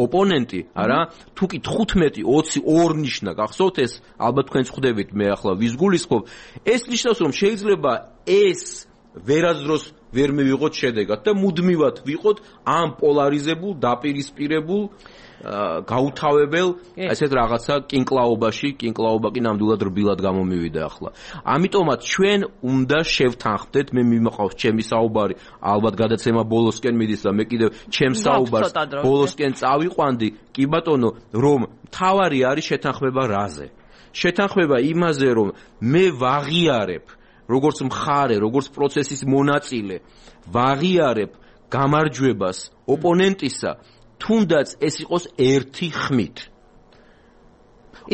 ოპონენტი, არა? თუ კი 15, 20, 2 ნიშნა გახსოვთ ეს, ალბათ თქვენ ხვდებით, მე ახლა ვის გულისხმობ, ეს ნიშნავს, რომ შეიძლება ეს ვერასდროს ვერ მივიღოთ შედეგად და მუდმივად ვიყოთ ამ პოლარიზებულ, დაპირისპირებულ გაუთავებელ ესეთ რაღაცა კინკლაობაში, კინკლაობა კი ნამდვილად რბილად გამომივიდა ახლა. ამიტომაც ჩვენ უნდა შევთანხმდეთ, მე მიმყავს ჩემი საუბარი, ალბათ გადაცემა ბოლოსკენ მიდის და მე კიდევ ჩემს საუბარს ბოლოსკენ წავიყვანდი, კი ბატონო, რომ თავარი არის შეთანხმება რაზე? შეთანხმება იმაზე, რომ მე ვაღიარებ, როგორც მხარე, როგორც პროცესის მონაწილე, ვაღიარებ გამარჯვებას ოპონენტისა, თუნდაც ეს იყოს ერთი ხმით.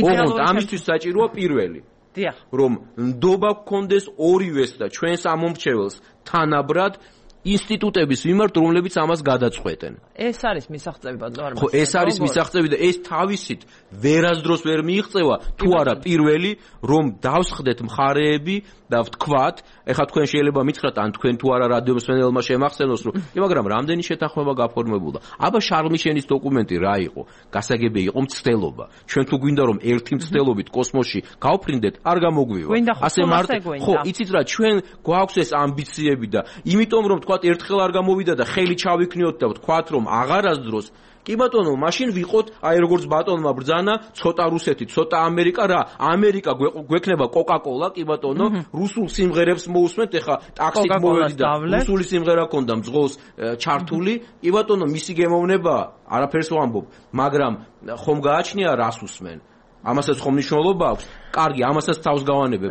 ოღონდ ამისთვის საჭიროა პირველი. დიახ. რომ ნდობა გქონდეს ორივეს და ჩვენს ამომრჩეველს თანაბრად ინსტიტუტების მიმართ, რომლებიც ამას გადაწყვეტენ. ეს არის მისაღწევი ბატონო. ხო, ეს არის მისაღწევი და ეს თავისით ვერასდროს ვერ მიიღწევა, თუ არა პირველი, რომ დავსხდეთ მხარეები და ვთქვათ, ეხლა თქვენ შეიძლება მითხრათ, ან თქვენ თუ არა რადიო მსმენელმა შემახსენოს, რომ მაგრამ რამდენი შეთანხმება გაფორმებულა. აბა შარლ მიშელის დოკუმენტი რა იყო? გასაგები იყო მცდელობა. ჩვენ თუ გვინდა რომ ერთი მცდელობით კოსმოსში გავფრინდეთ, არ გამოგვივა. ასე მარტო. ხო, იცით რა, ჩვენ გვაქვს ეს ამბიციები და იმიტომ რომ თქვათ ერთხელ არ გამოვიდა და ხელი ჩავიქნიოთ და ვთქვათ რომ აღარასდროს კი ბატონო, მაშინ ვიყოთ, აი როგორც ბატონმა ბრძანა, ცოტა რუსეთი, ცოტა ამერიკა რა, ამერიკა გვექნება კოკა-კოლა, კი ბატონო, რუსულ სიმღერებს მოусმენთ, ეხა ტაქსით მოვედი და რუსული სიმღერა ქონდა მძღოლს ჩართული, კი ბატონო, მისი გემოვნება, არაფერს ვამბობ, მაგრამ ხომ გააჩნია რას უსმენ? ამასაც ხომ მნიშვნელობა აქვს? კარგი, ამასაც თავს გავანებებ.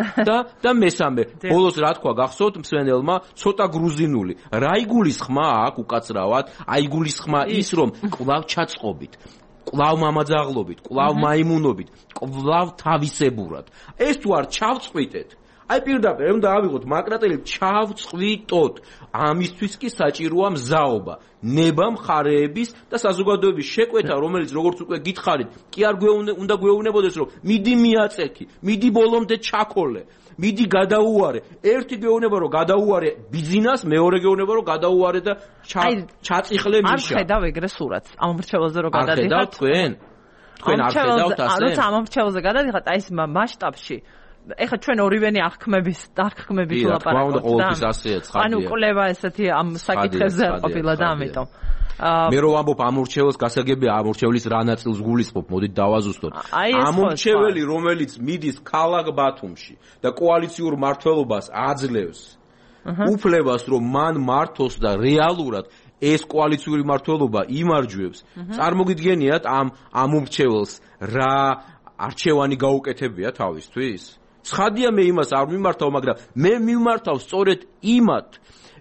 და მესამე, ბოლოს რა თქვა გახსოვთ მსმენელმა, ცოტა გრუზინული. რა იგულისხმა აქ უკაცრავად? აიგულისხმა ის, რომ კვლავ ჩაწყობით, კვლავ მამაძაღლობით, კვლავ მაიმუნობით, კვლავ თავისებურად. ეს თუ არ ჩავწყვიტეთ, აი პირდაპირ უნდა ავიღოთ მაკრატელი, ჩავწყვიტოთ. ამისთვის კი საჭიროა მზაობა, ნება მხარეების და საზოგადოების შეკვეთა, რომელიც როგორც უკვე გითხარით, კი არ უნდა გვეუბნებოდეს, რომ მიდი მიაწექი, მიდი ბოლომდე ჩაქოლე, მიდი გადაუარე. ერთი გეუბნება, რომ გადაუარე ბიზნეს, მეორე გეუბნება, რომ გადაუარე და ჩაწიხლე მიშა. არ ხედავ ეგრე სურათს. ამ მრჩეველზე რომ გადადიხართ. არ ხედავ თქვენ? თქვენ არ ხედავთ ასე? როცა ამ მრჩეველზე გადადიხართ, აი ეს მასშტაბში ეხლა ჩვენ ორივენი აღქმების ლაპარაკობთ და ანუ კვლევა ესეთი ამ საკითხებზე ყოფილა და ამიტომ მე რო ვამბობ ამორჩეველს გასაგებია ამორჩეველის რა ნაწილს გულისხმობ მოდით დავაზუსტოთ ამორჩეველი რომელიც მიდის ქალაქ ბათუმში და კოალიციურ მმართველობას აძლევს უფლებას რომ მან მართოს და რეალურად ეს კოალიციური მმართველობა იმარჯვებს წარმოგიდგენიათ ამ ამორჩეველს რა არჩევანი გაუკეთებია თავისთვის ცხადია მე იმას არ მიმართავ, მაგრამ მე მიმართავ სწორედ იმათ,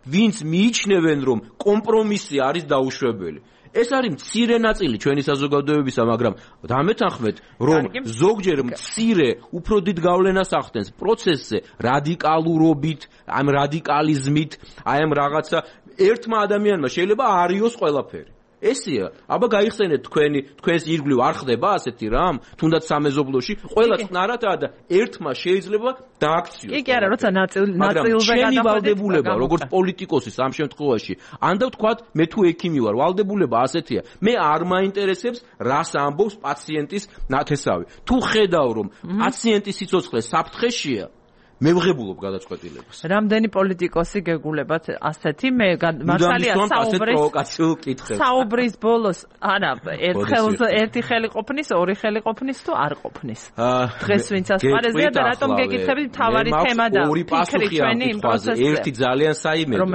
ვინც მიიჩნევენ, რომ კომპრომისი არის დაუშვებელი. ეს არის მცირე ნაწილი ჩვენი საზოგადოებისა, მაგრამ დამეთანხმეთ, რომ ზოგჯერ მცირე, უფრო დიდ გავლენას ახდენს პროცესზე რადიკალურობით, ამ რადიკალიზმით, აი ამ რაღაცა ერთმა ადამიანმა შეიძლება არიოს ყველაფერი. ესია, აბა გაიხსენეთ თქვენს ირგვლივ არ ხდება ასეთი რამ, თუნდაც სამეზობლოში, ყველა წნარადაა და ერთმა შეიძლება დააქციოს. კი არა, როცა ნაწილზე გადავალდებულება, როგორც პოლიტიკოსის ამ შემთხვევაში, ან და ვთქვათ, მე თუ ექიმი ვარ, ვალდებულება ასეთია. მე არ მაინტერესებს, რას ამბობს პაციენტის ნათესავი. თუ ხედავ, რომ პაციენტის სიცოცხლე საფრთხეშია, მე ვღებულობ გადაწყვეტილებას. რამდენი პოლიტიკოსი გეგულებათ ასეთი? მე მართალია საუბრის ბოლოს, არა, ერთი ხელი ყოფნის, ორი ხელი ყოფნის თუ არ ყოფნის. დღეს ვინც ასპარეზია და რატომ გეკითხები მთავარი თემა და ფიქრი ჩვენი იმ პროცესზე. ერთი ძალიან საიმედო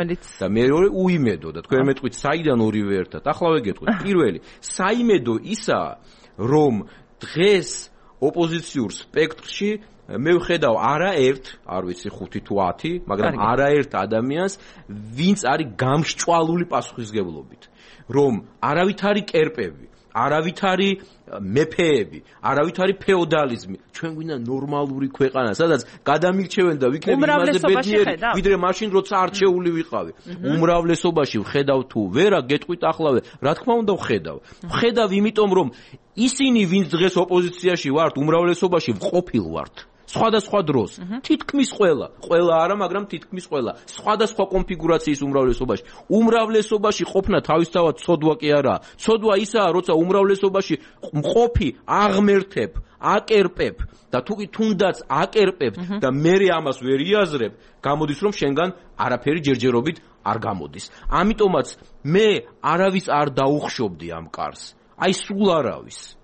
და მეორე უიმედო და თქვენ მეტყვით საიდან ორივე ერთად. ახლავე გეტყვით. პირველი, საიმედო ისაა, რომ დღეს ოპოზიციურ სპექტრში მე ვხედავ არაერთ, არ ვიცი 5 თუ 10, მაგრამ არაერთ ადამიანს, ვინც არის გამსჭვალული პასუხისგებლობით, რომ არავითარი კერპები, არავითარი მეფეები, არავითარი ფეოდალიზმი, ჩვენ გვინდა ნორმალური ქვეყანა, სადაც გადამირჩევენ და ვიქნები იმაზე ბედნიერი, ვიდრე მაშინ როცა არჩეული ვიყავი. უმრავლესობაში ვხედავ თუ ვერა, გეტყვით ახლავე, რა თქმა უნდა ვხედავ. ვხედავ იმიტომ, რომ ისინი, ვინც დღეს ოპოზიციაში ვართ, უმრავლესობაში ვყოფილ ვართ. სხვადასხვა დროს. თითქმის ყველა არა, მაგრამ თითქმის ყველა. სხვადასხვა კონფიგურაციის უმრავლესობაში ყოფნა თავისთავად ცოდვა კი არა. ცოდვა ისაა, როცა უმრავლესობაში მყოფი აღმერთებ, აკერპებ და თუნდაც აკერპებ და მე ამას ვერ იაზრებ, გამოდის რომ შენგან არაფერი ჯერჯერობით არ გამოდის. ამიტომაც მე არავის არ დაუხშობდი ამ კარს. აი სულ არავის.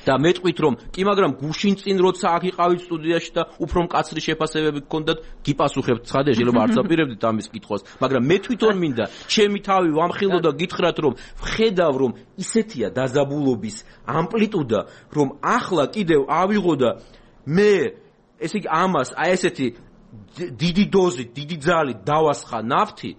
და მეტყვით რომ კი მაგრამ გუშინ წინ როცა აქ იყავით სტუდიაში და უფრო მკაცრი შეფასებები გქონდათ გიპასუხებთ ცხადია შეიძლება არც აპირებდით ამის კითხვას მაგრამ მე თვითონ მინდა ჩემი თავი ვამხილო და გითხრათ რომ ვხედავ რომ ისეთია დაზაბულობის ამპლიტუდა რომ ახლა კიდევ ავიღო და მე ესე იგი ამას აი ესეთი დიდი დოზით დიდი ძალით დავასხა ნავთი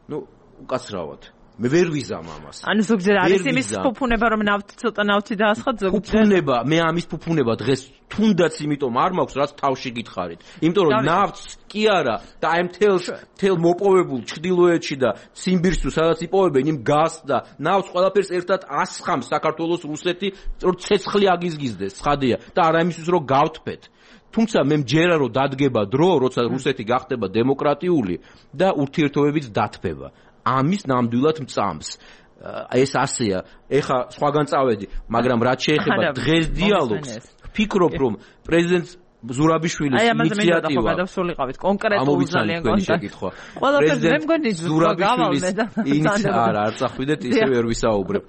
ნუ უკაცრავად მე ვერ ვიზამ ამას. ანუ ზოგჯერ არის იმის ფუფუნება რომ ცოტა ნავთი დაასხათ ზოგჯერ. ფუფუნება, მე ამის ფუფუნება დღეს თუნდაც იმიტომ არ მაქვს, რაც თავში გითხარით. იმიტომ რომ ნავთს კი არა და აი მთელ მოპოვებულ ჩრდილოეთში და ციმბირში სადაც იპოვებენ იმ გაზს და ნავთს ყველაფერს ერთად ასხამს საქართველოს რუსეთი, რომ ცეცხლი აგიზგიზდეს, ცხადია და არა იმისთვის რომ გავთფეთ. თუმცა მე მჯერა რომ დადგება დრო, როცა რუსეთი გახდება დემოკრატიული და ურთიერთობებიც დათბება. ამის ნამდვილად მწამს. ეს ასეა. ეხა სხვაგან წავედი, მაგრამ რაც შეეხება დღეს დიალოგს, ვფიქრობ რომ პრეზიდენტ ზურაბიშვილის ინიციატივა დავსულიყავით კონკრეტულ ძალიან კონკრეტულ. პრეზიდენტ ზურაბიშვილის ინიციატივა არ წახვიდეთ ისე ვერ ვისაუბრებ.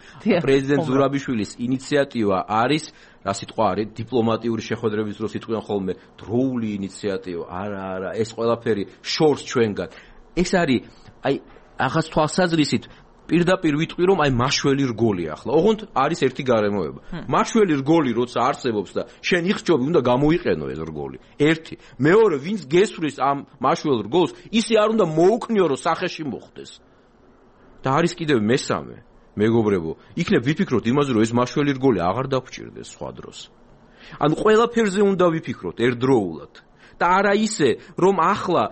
პრეზიდენტ ზურაბიშვილის ინიციატივა არის რა სიტყვა არის დიპლომატიური შეხვედრების დროს იტყვიან ხოლმე დროული ინიციატივა. არა, ეს ყველაფერი შორს ჩვენგან. ეს არის აი ახაც თვალსაზრისით პირდაპირ ვიტყვი რომ აი მაშველი რგოლი ახლა. ოღონდ არის ერთი გარემოება. მაშველი რგოლი როცა არსებობს და შენ იხჭობი უნდა გამოიყენო ეს რგოლი. ერთი. მეორე, ვინც გესვრის ამ მაშველ რგოლს, ისე არ უნდა მოუქნიო რომ სახეში მოხდეს. და არის კიდევ მესამე, მეგობრებო, იქნებ ვიფიქროთ იმაზე რომ ეს მაშველი რგოლი აღარ დაგვჭირდეს სხვა დროს. ანუ ყველაფერზე უნდა ვიფიქროთ ერთდროულად. და არა ისე რომ ახლა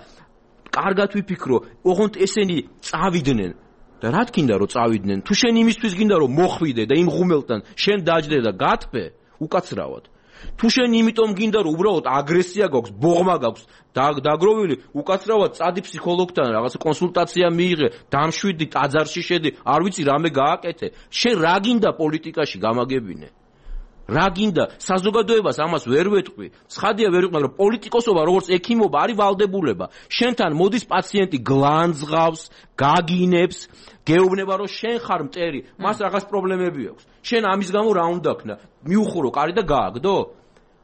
კარგად ვიფიქრო, ოღონდ ესენი წავიდნენ და რა თქინდა რომ წავიდნენ? თუ შენ იმისთვის გინდა რომ მოხვიდე და იმ ღუმელთან შენ დაჯდე და გათფე, უკაცრავად. თუ შენ იმიტომ გინდა რომ უბრალოდ აგრესია გაქვს, ბოღმა გაქვს, დაგროვილი, უკაცრავად წადი ფსიქოლოგთან, რაღაც კონსულტაცია მიიღე, დამშვიდი, ტაძარში შედი, არ ვიცი რამე გააკეთე. შენ რა გინდა პოლიტიკაში გამაგებინე? რა გინდა საზოგადოებას ამას ვერ ვეთყვი. ცხადია ვერ ვიყავ რომ პოლიტიკოსობა როგორც ექიმობა არის ვალდებულება. შენთან მოდის პაციენტი გლანძღავს, გაგინებს, გეუბნება რომ შენ ხარ მტერი, მას რაღაც პრობლემები აქვს. შენ ამის გამო რა უნდა ქნა? მიუხურო კარი და გააგდო?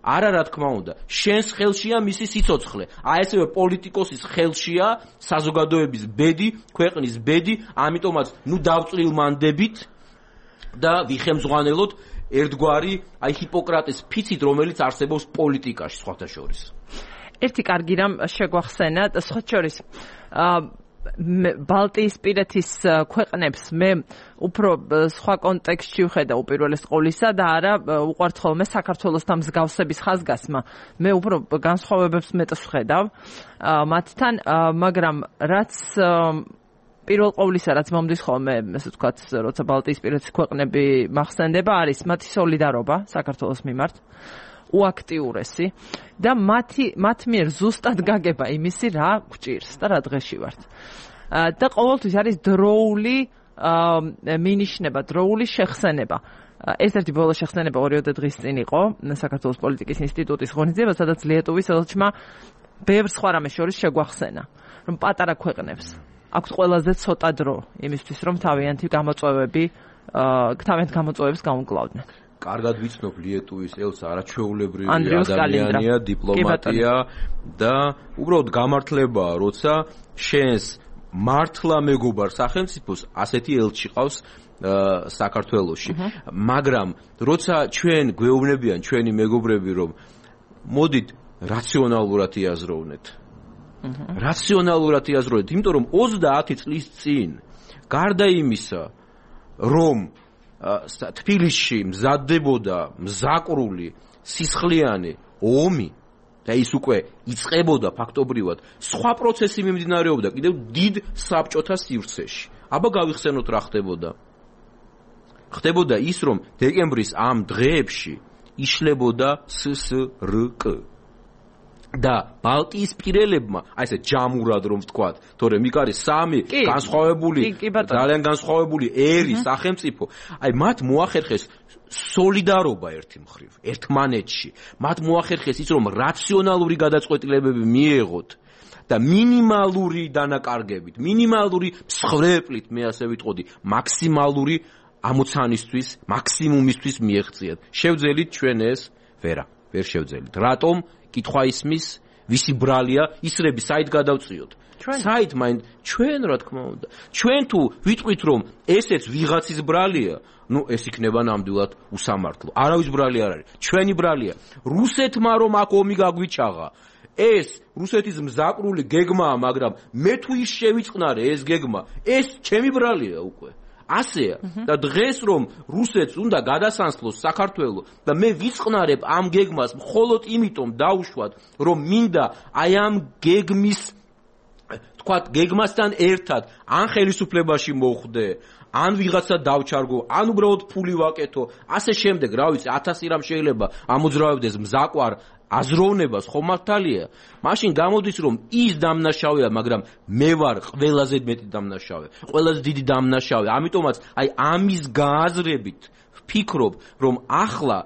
არა რა თქმა უნდა. შენს ხელშია მისი სიცოცხლე. აი ესევე პოლიტიკოსის ხელშია საზოგადოების ბედი, ქვეყნის ბედი, ამიტომაც ნუ დავწრილმანდებით და ვიხემძღვანელოთ ერთგვარი აი ჰიპოკრატეს ფიცით რომელიც არსებობს პოლიტიკაში სხვათა შორის. ერთი კარგი რამ შეგვახსენა სხვა შორის ბალტიისპირეთის ქვეყნებს მე უფრო სხვა კონტექსტში ვხედა უპირველეს ყოვლისა და არა უყვართ ხოლმე საქართველოსთან მსგავსების ხაზგასმა. მე უფრო განსხვავებებს მეტს ვხედავ მათთან, მაგრამ რაც პირველ ყოვლისა რაც მომდის ხოლმე, ესე ვთქვათ, როცა ბალტიისპირეთის ქვეყნები მახსენდება, არის მათი სოლიდარობა საქართველოს მიმართ, უაქტიურესი და მათ მიერ ზუსტად გაგება იმისი რა გვჭირს და რა დღეში ვართ. და ყოველთვის არის დროული მინიშნება, დროული შეხსენება. ერთ-ერთი ბოლო შეხსენება 2 დღის წინ იყო საქართველოს პოლიტიკის ინსტიტუტის ღონისძიება, სადაც ლიეტუვის ელჩმა ბევრ სხვა რამეს შორის შეგვახსენა, რომ პატარა ქვეყნებს აქვს ყველაზე ცოტა დრო იმისთვის, რომ თავიანთი გამოწვევებს გაუმკლავდნენ. კარგად ვიცნობ ლიეტუვის ელს არაჩვეულებრივი ადამიანია, დიპლომატია და უბრალოდ გამართლებაა, როცა შენს მართლა მეგობარ სახელმწიფოს ასეთი ელჩი ყავს საქართველოში. მაგრამ როცა ჩვენ გვეუბნებიან ჩვენი მეგობრები, რომ მოდით რაციონალურად იაზროვნეთ. რაციონალურად იაზროვნეთ, იმიტომ რომ 30 წლის წინ გარდა იმისა, რომ თბილისში მზადდებოდა მზაკრული სისხლიანი ომი და ის უკვე იწყებოდა ფაქტობრივად, სხვა პროცესი მიმდინარეობდა კიდევ დიდ საბჭოთა სივრცეში. აბა გავიხსენოთ რა ხდებოდა. ხდებოდა ის, რომ დეკემბრის ამ დღეებში იშლებოდა SSRK. და ბალტიისპირელებმა, აი ესე ჯამურად რომ ვთქვათ, თორემ იქ არის სამი განსხვავებული, ძალიან განსხვავებული ერი სახელმწიფო, აი მათ მოახერხეს სოლიდარობა ერთი მხრივ, ერთმანეთში. მათ მოახერხეს ის, რომ რაციონალური გადაწყვეტილებები მიეღოთ და მინიმალური დანაკარგებით, მინიმალური მსხვერპლით, მე ასე ვიტყოდი, მაქსიმალური ამოცანისთვის, მაქსიმუმისთვის მიეღწიათ. შევძელით ჩვენ ეს? ვერ შევძელით. რატომ? კითხვა ისმის, ვისი ბრალია, ისრები საით გადავწიოთ? საით მაინც ჩვენ რა თქმა უნდა. ჩვენ თუ ვიტყვით რომ ესეც ვიღაცის ბრალია, ну ეს იქნება ნამდვილად უსამართლო. არავის ბრალი არ არის, ჩვენი ბრალია. რუსეთმა რომ აქ ომი გაგვიჩაღა, ეს რუსეთის მზაკრული გეგმაა, მაგრამ მე თუ ის შევიწყნარე ეს გეგმა, ეს ჩემი ბრალია უკვე. ასეა და დღეს რომ რუსეთს უნდა გადასანსლოს საქართველო და მე ვიწყნარებ ამ გეგმას მხოლოდ იმიტომ დავუშვათ რომ მინდა აი ამ გეგმის თქვათ გეგმასთან ერთად ან ხელისუფლებაში მოხვდე ან ვიღაცა დავჩარგო ან უბრალოდ ფული ვაკეთო ასე შემდეგ რა ვიცი 1000 რამ შეიძლება ამოძრავებდეს მზაკვარ აზროვნებას ხომ მართალია მაშინ გამოდის რომ ის დამნაშავეა მაგრამ მე ვარ ყველაზე მეტი დამნაშავე ყველაზე დიდი დამნაშავე ამიტომაც აი ამის გააზრებით ვფიქრობ რომ ახლა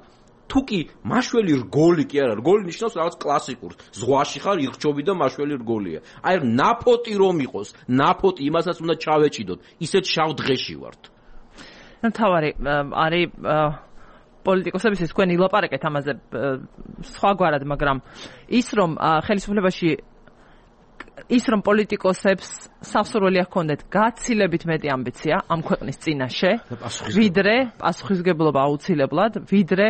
თუკი მაშველი რგოლი კი არა რგოლი ნიშნავს რაღაც კლასიკურს ზღვაში ხარ ირჩობი და მაშველი რგოლია აი ნაფოტი რომ იყოს ნაფოტი იმასაც უნდა ჩავეჭიდოთ ისეთ შავ დღეში ვართ თავარი არის პოლიტიკოსების ის თქვენ ილაპარაკეთ ამაზე სხვაგვარად, მაგრამ ის რომ ხელისუფლებაში ის რომ პოლიტიკოსებს სასურველი ჰქონდეთ გაცილებით მეტი ამბიცია ამ ქვეყნის წინაშე, ვიდრე პასუხისმგებლობა აუცილებლად, ვიდრე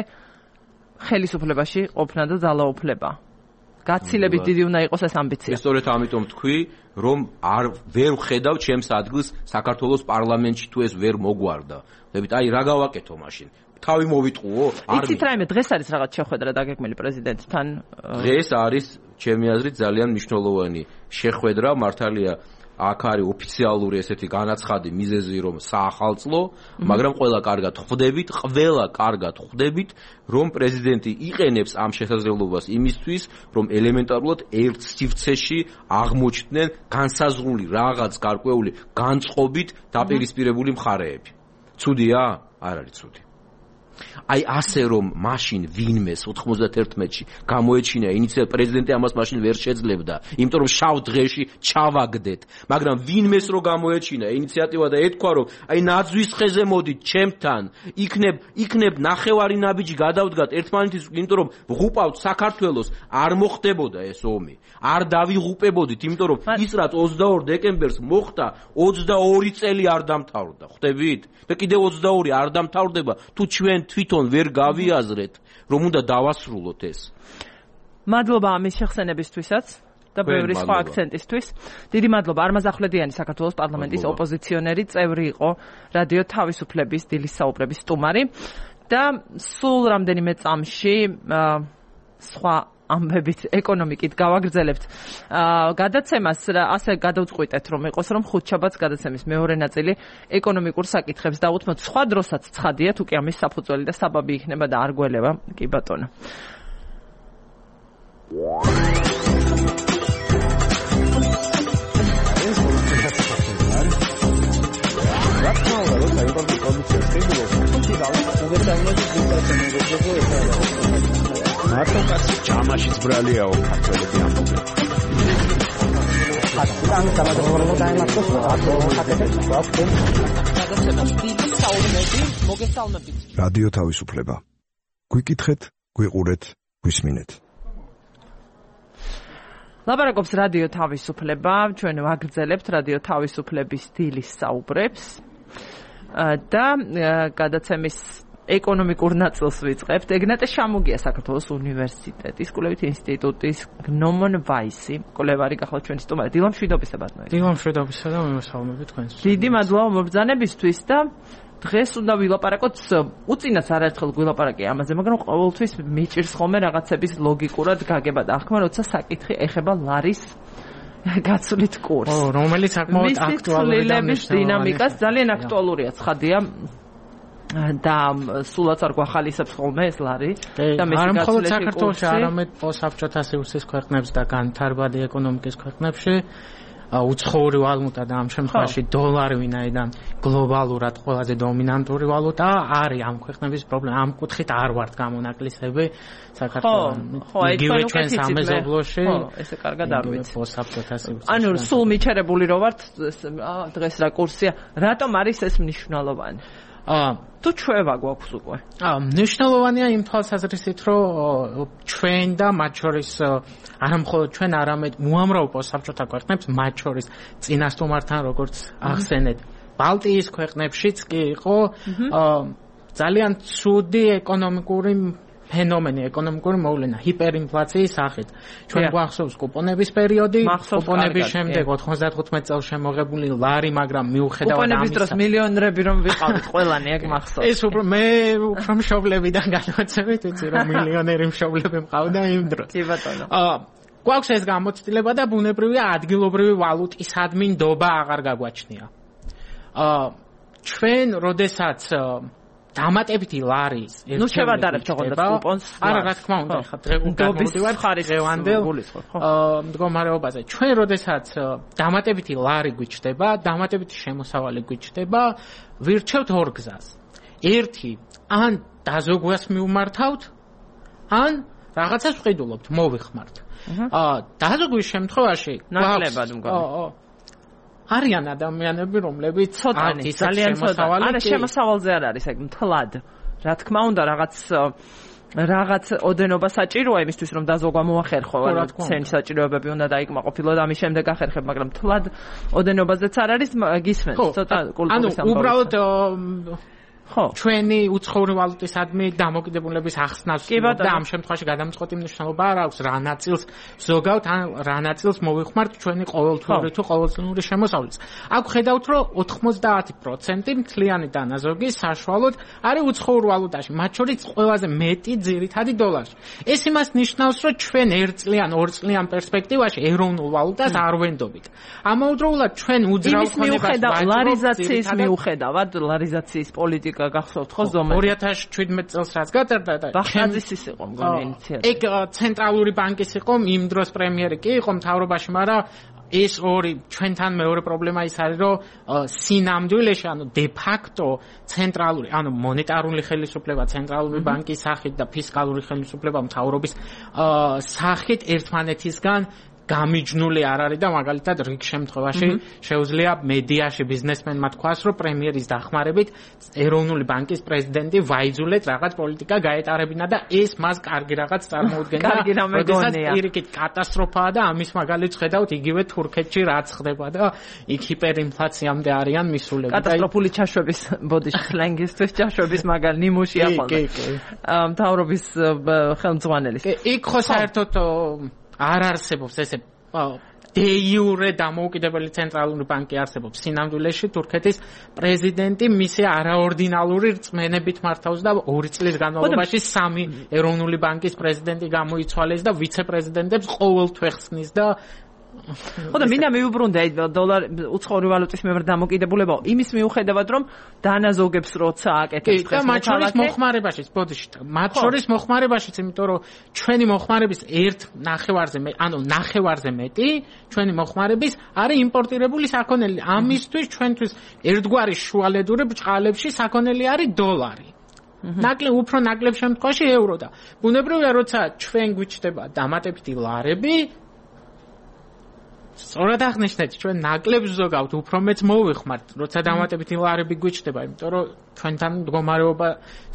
ხელისუფლებაში ყოფნა და ძალაუფლება. გაცილებით დიდი უნდა იყოს ეს ამბიცია. სწორედ ამიტომ თქვი, რომ ვერ ვხედავ ჩემს ადგილს საქართველოს პარლამენტში თუ ეს ვერ მოგვარდა. დებით აი რა გავაკეთო მაშინ? თავი მოვიტყუო? იცით რაიმე დღეს არის რაღაც შეხვედრა დაგეგმილი პრეზიდენტთან? დღეს არის ჩემი აზრით ძალიან მნიშვნელოვანი შეხვედრა, მართალია აქ არის ოფიციალური ესეთი განაცხადი მიზეზი რომ საახალწლო, მაგრამ ყველა კარგად ხვდებით, რომ პრეზიდენტი იყენებს ამ შესაძლებლობას იმისთვის, რომ ელემენტარულად ერთ სივრცეში აღმოჩნდნენ განსაზღვრული რაღაც გარკვეული განწყობით დაპირისპირებული მხარეები. ცუდია? არ არის ცუდი. აი ასე რომ მაშინ ვინმეს 91-ში გამოეჩინა ინიციატივა პრეზიდენტი ამას მაშინ ვერ შეძლებდა იმიტომ რომ შავ დღეში ჩავაგდეთ მაგრამ ვინმეს რო გამოეჩინა ინიციატივა და ეთქვა რომ აი ნაძვის ხეზე მოდით ჩემთან იქნებ ნახევარი ნაბიჯი გადავდგათ ერთმანეთის იმიტომ რომ ვღუპავთ საქართველოს არ მოხდებოდა ეს ომი არ დავიღუპებოდით იმიტომ რომ ის რაც 22 დეკემბერს მოხდა 22 წელი არ დამთავრდა ხვდებით და კიდევ 22 არ დამთავრდება თუ ჩვენ თვითონ ვერ გავიაზრეთ რომ უნდა დავასრულოთ ეს. მადლობა ამის შეხსენებისთვისაც და ბევრი სხვა აქცენტისთვის. დიდი მადლობა არმაზ ახვლედიანი საქართველოს პარლამენტის ოპოზიციონერი წევრი იყო რადიო თავისუფლების დილის საუბრების სტუმარი და სულ რამდენიმე წამში სხვა ამბებით ეკონომიკით გავაგრძელებთ გადაცემას ასე გადავწყვიტეთ რომ იყოს რომ ხუთშაბათს გადაცემის მეორე ნაწილი ეკონომიკურ საკითხებს დავუთმოთ სხვა დროსაც ცხადია თუ კი ამის საფუძველი და საბაბი იქნება და არ გველება კი ბატონო მარტო ჯამაშიც ბრალიაო ქართველები ამბობენ. რადიო თავისუფლება. გვიკითხეთ, გვიყურეთ, გვისმინეთ. ლაპარაკობს რადიო თავისუფლება, ჩვენ ვაგრძელებთ რადიო თავისუფლების დილის საუბრებს და გადაცემის ეკონომიკურ ნაწილს ვიწყებთ. ეგნატე შამუგია საქართველოს უნივერსიტეტის კვლევითი ინსტიტუტის გნომონ ვაისი კვლევარი გახლავთ ჩვენი სტუმარი. დილა მშვიდობისა ბატონო. დილა მშვიდობისა და მიმოსალმები თქვენს. დიდი მადლობა მობრძანებისთვის და დღეს უნდა ვილაპარაკოთ უწინაც არაერთხელ ვილაპარაკე ამაზე, მაგრამ ყოველთვის მიჭირს ხოლმე რაღაცების ლოგიკურად გაგება და ახმა როცა საკითხი ეხება ლარის გაცვლით კურსს. რომელიც საკმაოდ აქტუალურია დინამიკას ძალიან აქტუალურია ცხადია. და სულაც არ გვახალისებს ხოლმე ეს ლარი და არ მხოლოდ საქართველოში, არამედ საბჭოთა სივრცის ქვეყნებს და განვითარებადი ეკონომიკის ქვეყნებში უცხოური ვალუტა და ამ შემთხვევაში დოლარი ვინაიდან გლობალურად ყველაზე დომინანტური ვალუტა არის ამ ქვეყნების პრობლემა. ამ კუთხით არ ვართ გამონაკლისები საქართველოს. იგივე ჩვენ სამეზობლოში. ესე კარგად არ ვიცი. საბჭოთა სივრცის. ანუ სულ მიჩერებული რო ვართ დღეს რა კურსია, რატომ არის ეს მნიშვნელოვანი? თუ ჩვევა გვაქვს უკვე. მნიშვნელოვანია იმ თვალსაზრისით, რომ ჩვენ და მათ შორის არა მხოლოდ ჩვენ, არამედ უამრავ საბჭოთა ქვეყნებს, მათ შორის წინასწარმართან, როგორც ახსენეთ, ბალტიის ქვეყნებშიც კი იყო ძალიან ცუდი ეკონომიკური ფენომენი, ეკონომიკური მოვლენა, ჰიპერინფლაციის სახით. ჩვენ გვახსოვს კუპონების პერიოდი, კუპონების შემდეგ 95 წელს შემოღებული ლარი, მაგრამ მიუხედავად ამისა, კუპონების დროს მილიონერები რომ ვიყავით ყველანი, ეგ მახსოვს. ეს მე უფრო მშობლებიდან გადავაცემით, ვიცი რომ მილიონერი მშობლები მყავდა იმ დროს. კი ბატონო. გვაქვს ეს გამოცდილება და ბუნებრივია ადგილობრივი ვალუტისადმი ნდობა აღარ გაგვაჩნია. ჩვენ როდესაც დამატებითი ლარის ნუ შევადარებთ თქონდეთ კუპონს. არა, რა თქმა უნდა, ხა დღევანდელ ხარისხევანდელ მდგომარეობაზე. ჩვენ როდესაც დამატებითი ლარი გვიჩნდება, დამატებითი შემოსავალი გვიჩნდება, ვირჩევთ ორ გზას. ერთი, ან დაზოგვას მივმართავთ, ან რაღაცას ვყიდულობთ, მოვიხმართ. დაზოგვის შემთხვევაში ნაკლებად მგონი. არიან ადამიანები, რომლებიც ცოტანი, ძალიან ცოტა. არა, შემოსავალზე არ არის, ეგ მთლად. რა თქმა უნდა, რაღაც ოდენობა საჭიროა იმისთვის, რომ დაზოგვა მოახერხო, ანუ ცენ საჭიროებები უნდა დაიკმაყოფილო და ამის შემდეგ ახერხებ, მაგრამ მთლად ოდენობაზეც არ არის, გისმენთ, ცოტა კულტურის ამბავი. ანუ უბრალოდ ჩვენი უცხოური ვალუტისადმი დამოკიდებულების ახსნას და ამ შემთხვევაში გადამწყვეტი მნიშვნელობა არ აქვს რა ნაწილს ზოგავთ ან რა ნაწილს მოვიხმართ ჩვენი ყოველთვიური თუ ყოველწლიური შემოსავლით. აქ ხედავთ რომ 90% მთლიანი დანაზოგი საშუალოდ არის უცხოურ ვალუტაში, მათ შორის ყველაზე მეტი ძირითადი დოლარში. ეს იმას ნიშნავს, რომ ჩვენ 1 წლიან, 2 წლიან პერსპექტივაში ეროვნულ ვალუტას არ ვენდობით. ამავდროულად ჩვენ უძრავ ქონებას ლარიზაციის მიუხედავად, ლარიზაციის პოლიტიკა გახსოვთ ხო ზომად 2017 წელს რაც გაწერდა და ბახაძის იყო მგონი ინიციატივა. ეგ ცენტრალური ბანკის იყო, იმ დროს პრემიერი კი იყო მთავრობაში, მაგრამ ეს ორი ჩვენთან მეორე პრობლემა ის არის, რომ სინამდვილეში, ანუ დე ფაქტო ცენტრალური, ანუ მონეტარული ხელისუფლება ცენტრალური ბანკის სახით და ფისკალური ხელისუფლება მთავრობის სახით ერთმანეთისგან გამიჯნული არ არის და მაგალითად რიგ შემთხვევაში შეუძლია მედიაში ბიზნესმენმა თქვას, რომ პრემიერის დახმარებით ეროვნული ბანკის პრეზიდენტი ვაიძულეთ რაღაც პოლიტიკა გაეტარებინა და ეს მას კარგი რაღაც წარმოუდგენდა. როდესაც პირიქით კატასტროფაა და ამის მაგალითს ხედავთ იგივე თურქეთში რაც ხდება და იქ ჰიპერინფლაციამდე არიან მისულები. კატასტროფული ჩაშვების ბოდიში სლენგისთვის ჩაშვების მაგალ ნიმუშია ხოლმე. მთავრობის ხელმძღვანელის. იქ ხო საერთოდ არ არსებობს ესე დე იურე დამოუკიდებელი ცენტრალური ბანკი არსებობს. სინამდვილეში თურქეთის პრეზიდენტი მისი არაორდინალური რწმენებით მართავს და 2 წლის განმავლობაში 3 ეროვნული ბანკის პრეზიდენტი გამოიცვალეს და ვიცე-პრეზიდენტებს ყოველთვე ხსნის და ხო და მინდა მიუბრუნდე დოლარ უცხოური ვალუტის მიერ დამოკიდებულება იმის მიუხედავად რომ დანაზოგებს როცა აკეთებს და მათ შორის მოხმარებაშიც ბოდიში მათ შორის მოხმარებაშიც იმიტომ რომ ჩვენი მოხმარების 1/9 მეტი ჩვენი მოხმარების არის იმპორტირებული საქონელი. ამისთვის ჩვენთვის ერთგვარი შუალედური ბრჭყალებში საქონელი არის დოლარი. უფრო ნაკლებ შემთხვევაში ევრო და ბუნებრივია როცა ჩვენ გვიჩნდება დამატებითი ლარები სწორად აღნიშნეთ, ჩვენ ნაკლებს ზოგავთ, უფრო მეც მოვიხმართ, როცა დამატებითი ლარები გვიჩნდება, იმიტომ რომ ჩვენთან მდგომარეობა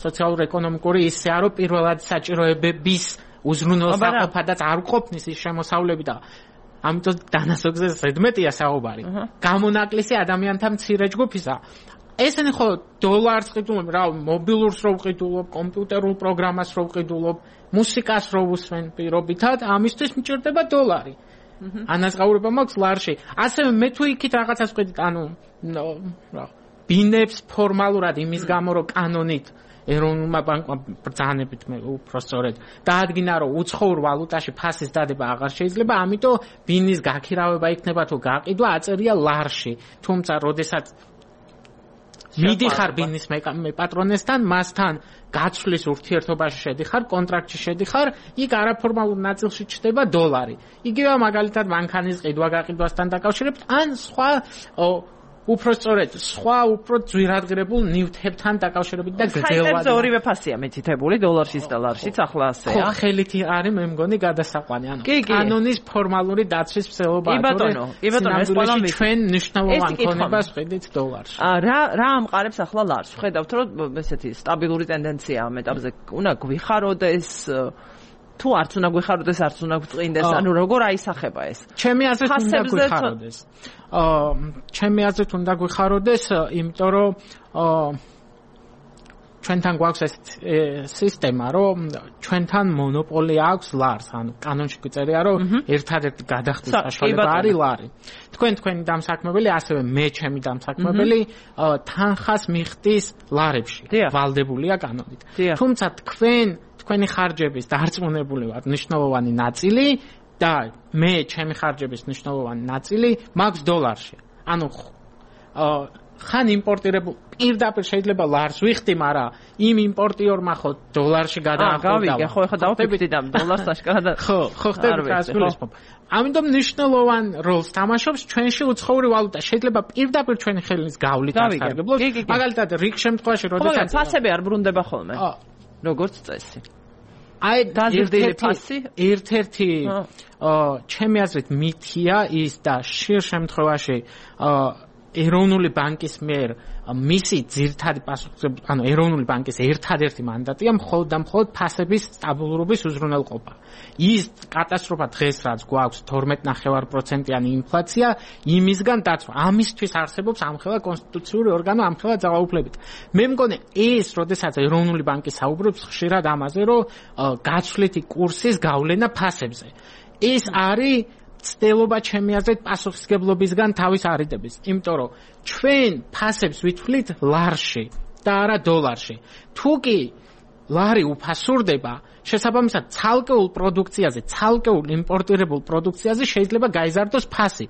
სოციალურ-ეკონომიკური ისეა, რომ პირველად საჭიროებების უზრუნველსაყოფადაც არ ყოფნის ის შემოსავლები და ამიტომ დანაზოგზე ზედმეტია საუბარი. გამონაკლისი ადამიანთა მცირე ჯგუფისა. ესენი ხო დოლარს ყიდულობ, რა მობილურს რო ვყიდულობ, კომპიუტერულ პროგრამას რო ვყიდულობ, მუსიკას რო ვუსმენ პირობითად, ამისთვის მჭირდება დოლარი. ანაზღაურება მაქვს ლარში. ასევე მე თუ იქით რაღაცას ვყიდით, ანუ ბინებს ფორმალურად იმის გამო რომ კანონით ეროვნულმა ბანკმა ბრძანებით მე უფრო სწორედ დაადგინა რომ უცხოურ ვალუტაში ფასის დადება აღარ შეიძლება, ამიტომ ბინის გაქირავება იქნება თუ გაყიდვა აწერია ლარში. თუმცა როდესაც მიდიხარ ბიზნეს პატრონესთან, მასთან გაცვლის ურთიერთობაში შედიხარ, კონტრაქტში შედიხარ, იქ არაფორმალურ ნაწილში ჩდება $. იგივე მაგალითად მანქანის ყიდვა-გაყიდვასთან დაკავშირებით, ან სხვა უფრო სწორედ სხვა უფრო ძვირადღირებულ ნივთებთან დაკავშირებით და გრძელვადად. ორივე ფასია მითითებული $-შიც და ლარშიც ახლა ასეა. ხო, ხელით არის მე მგონი გადასაყვანი. ანუ კანონის ფორმალური დაცვის მსვლელობა. კი ბატონო, ეს ყველა ჩვენ მნიშვნელოვან ქონებას ხედით $-ში. რა ამყარებს ახლა ლარს? ხედავთ რომ ესეთი სტაბილური ტენდენციაა ამ ეტაპზე. უნდა გვიხაროდეს თუ არც უნდა გვიხაროდეს, არც უნდა გვწყინდეს, ანუ როგორ აისახება ეს? ჩემი აზრით უნდა გვიხაროდეს. ჩემი აზრით უნდა გვიხაროდეს, იმიტომ რომ ჩვენთან გვაქვს ეს სისტემა, რომ ჩვენთან მონოპოლია აქვს ლარს, ანუ კანონში გვიწერია, რომ ერთადერთი გადახდის საშუალება არის ლარი. თქვენი დამსაქმებელი, ასევე მე ჩემი დამსაქმებელი თანხას მიხდის ლარებში. ვალდებულია კანონით. თუმცა თქვენი ხარჯების დარწმუნებული ვარ მნიშვნელოვანი ნაწილი და მე ჩემი ხარჯების მნიშვნელოვანი ნაწილი მაქვს $-ში. ანუ ხან იმპორტირებულ პირდაპირ შეიძლება ლარს ვიხდი, მაგრამ იმ იმპორტიორმა ხო $-ში გადაახურდა. გავიგე, ხო ეხლა დავფიქრდი და $-ს აშკარად. ხო, ხდება ეს გულისხმობ. ამიტომ მნიშვნელოვან როლს თამაშობს ჩვენში უცხოური ვალუტა. შეიძლება პირდაპირ ჩვენი ხელის გავლით ასარგებლოს. მაგალითად, რიგ შემთხვევაში, როდესაც ფასები არ ბრუნდება ხოლმე. როგორც წესი. აი ერთ-ერთი ჩემი აზრით მითია ის და ხშირ შემთხვევაში ეროვნული ბანკის მიერ მისი ძირითადი პასუხისმგებლობა, ანუ ეროვნული ბანკის ერთადერთი მანდატია მხოლოდ და მხოლოდ ფასების სტაბილურობის უზრუნველყოფა. ის კატასტროფა დღეს რაც გვაქვს 12.5%-იანი ინფლაცია, იმისგან დაცვა. ამისთვის არსებობს ამხელა კონსტიტუციური ორგანო, ამხელა ძალაუფლებით. მე მგონი ეს, როდესაც ეროვნული ბანკი საუბრობს ხშირად ამაზე, რომ გაცვლითი კურსის გავლენა ფასებზე. ეს არის ცდილობა ჩემი აზრით პასუხისმგებლობისგან თავის არიდების, იმიტომ რომ ჩვენ ფასებს ვითვლით ლარში და არა $-ში. თუ კი ლარი უფასურდება, შესაბამისად ცალკეულ პროდუქციაზე, ცალკეულ იმპორტირებულ პროდუქციაზე შეიძლება გაიზარდოს ფასი.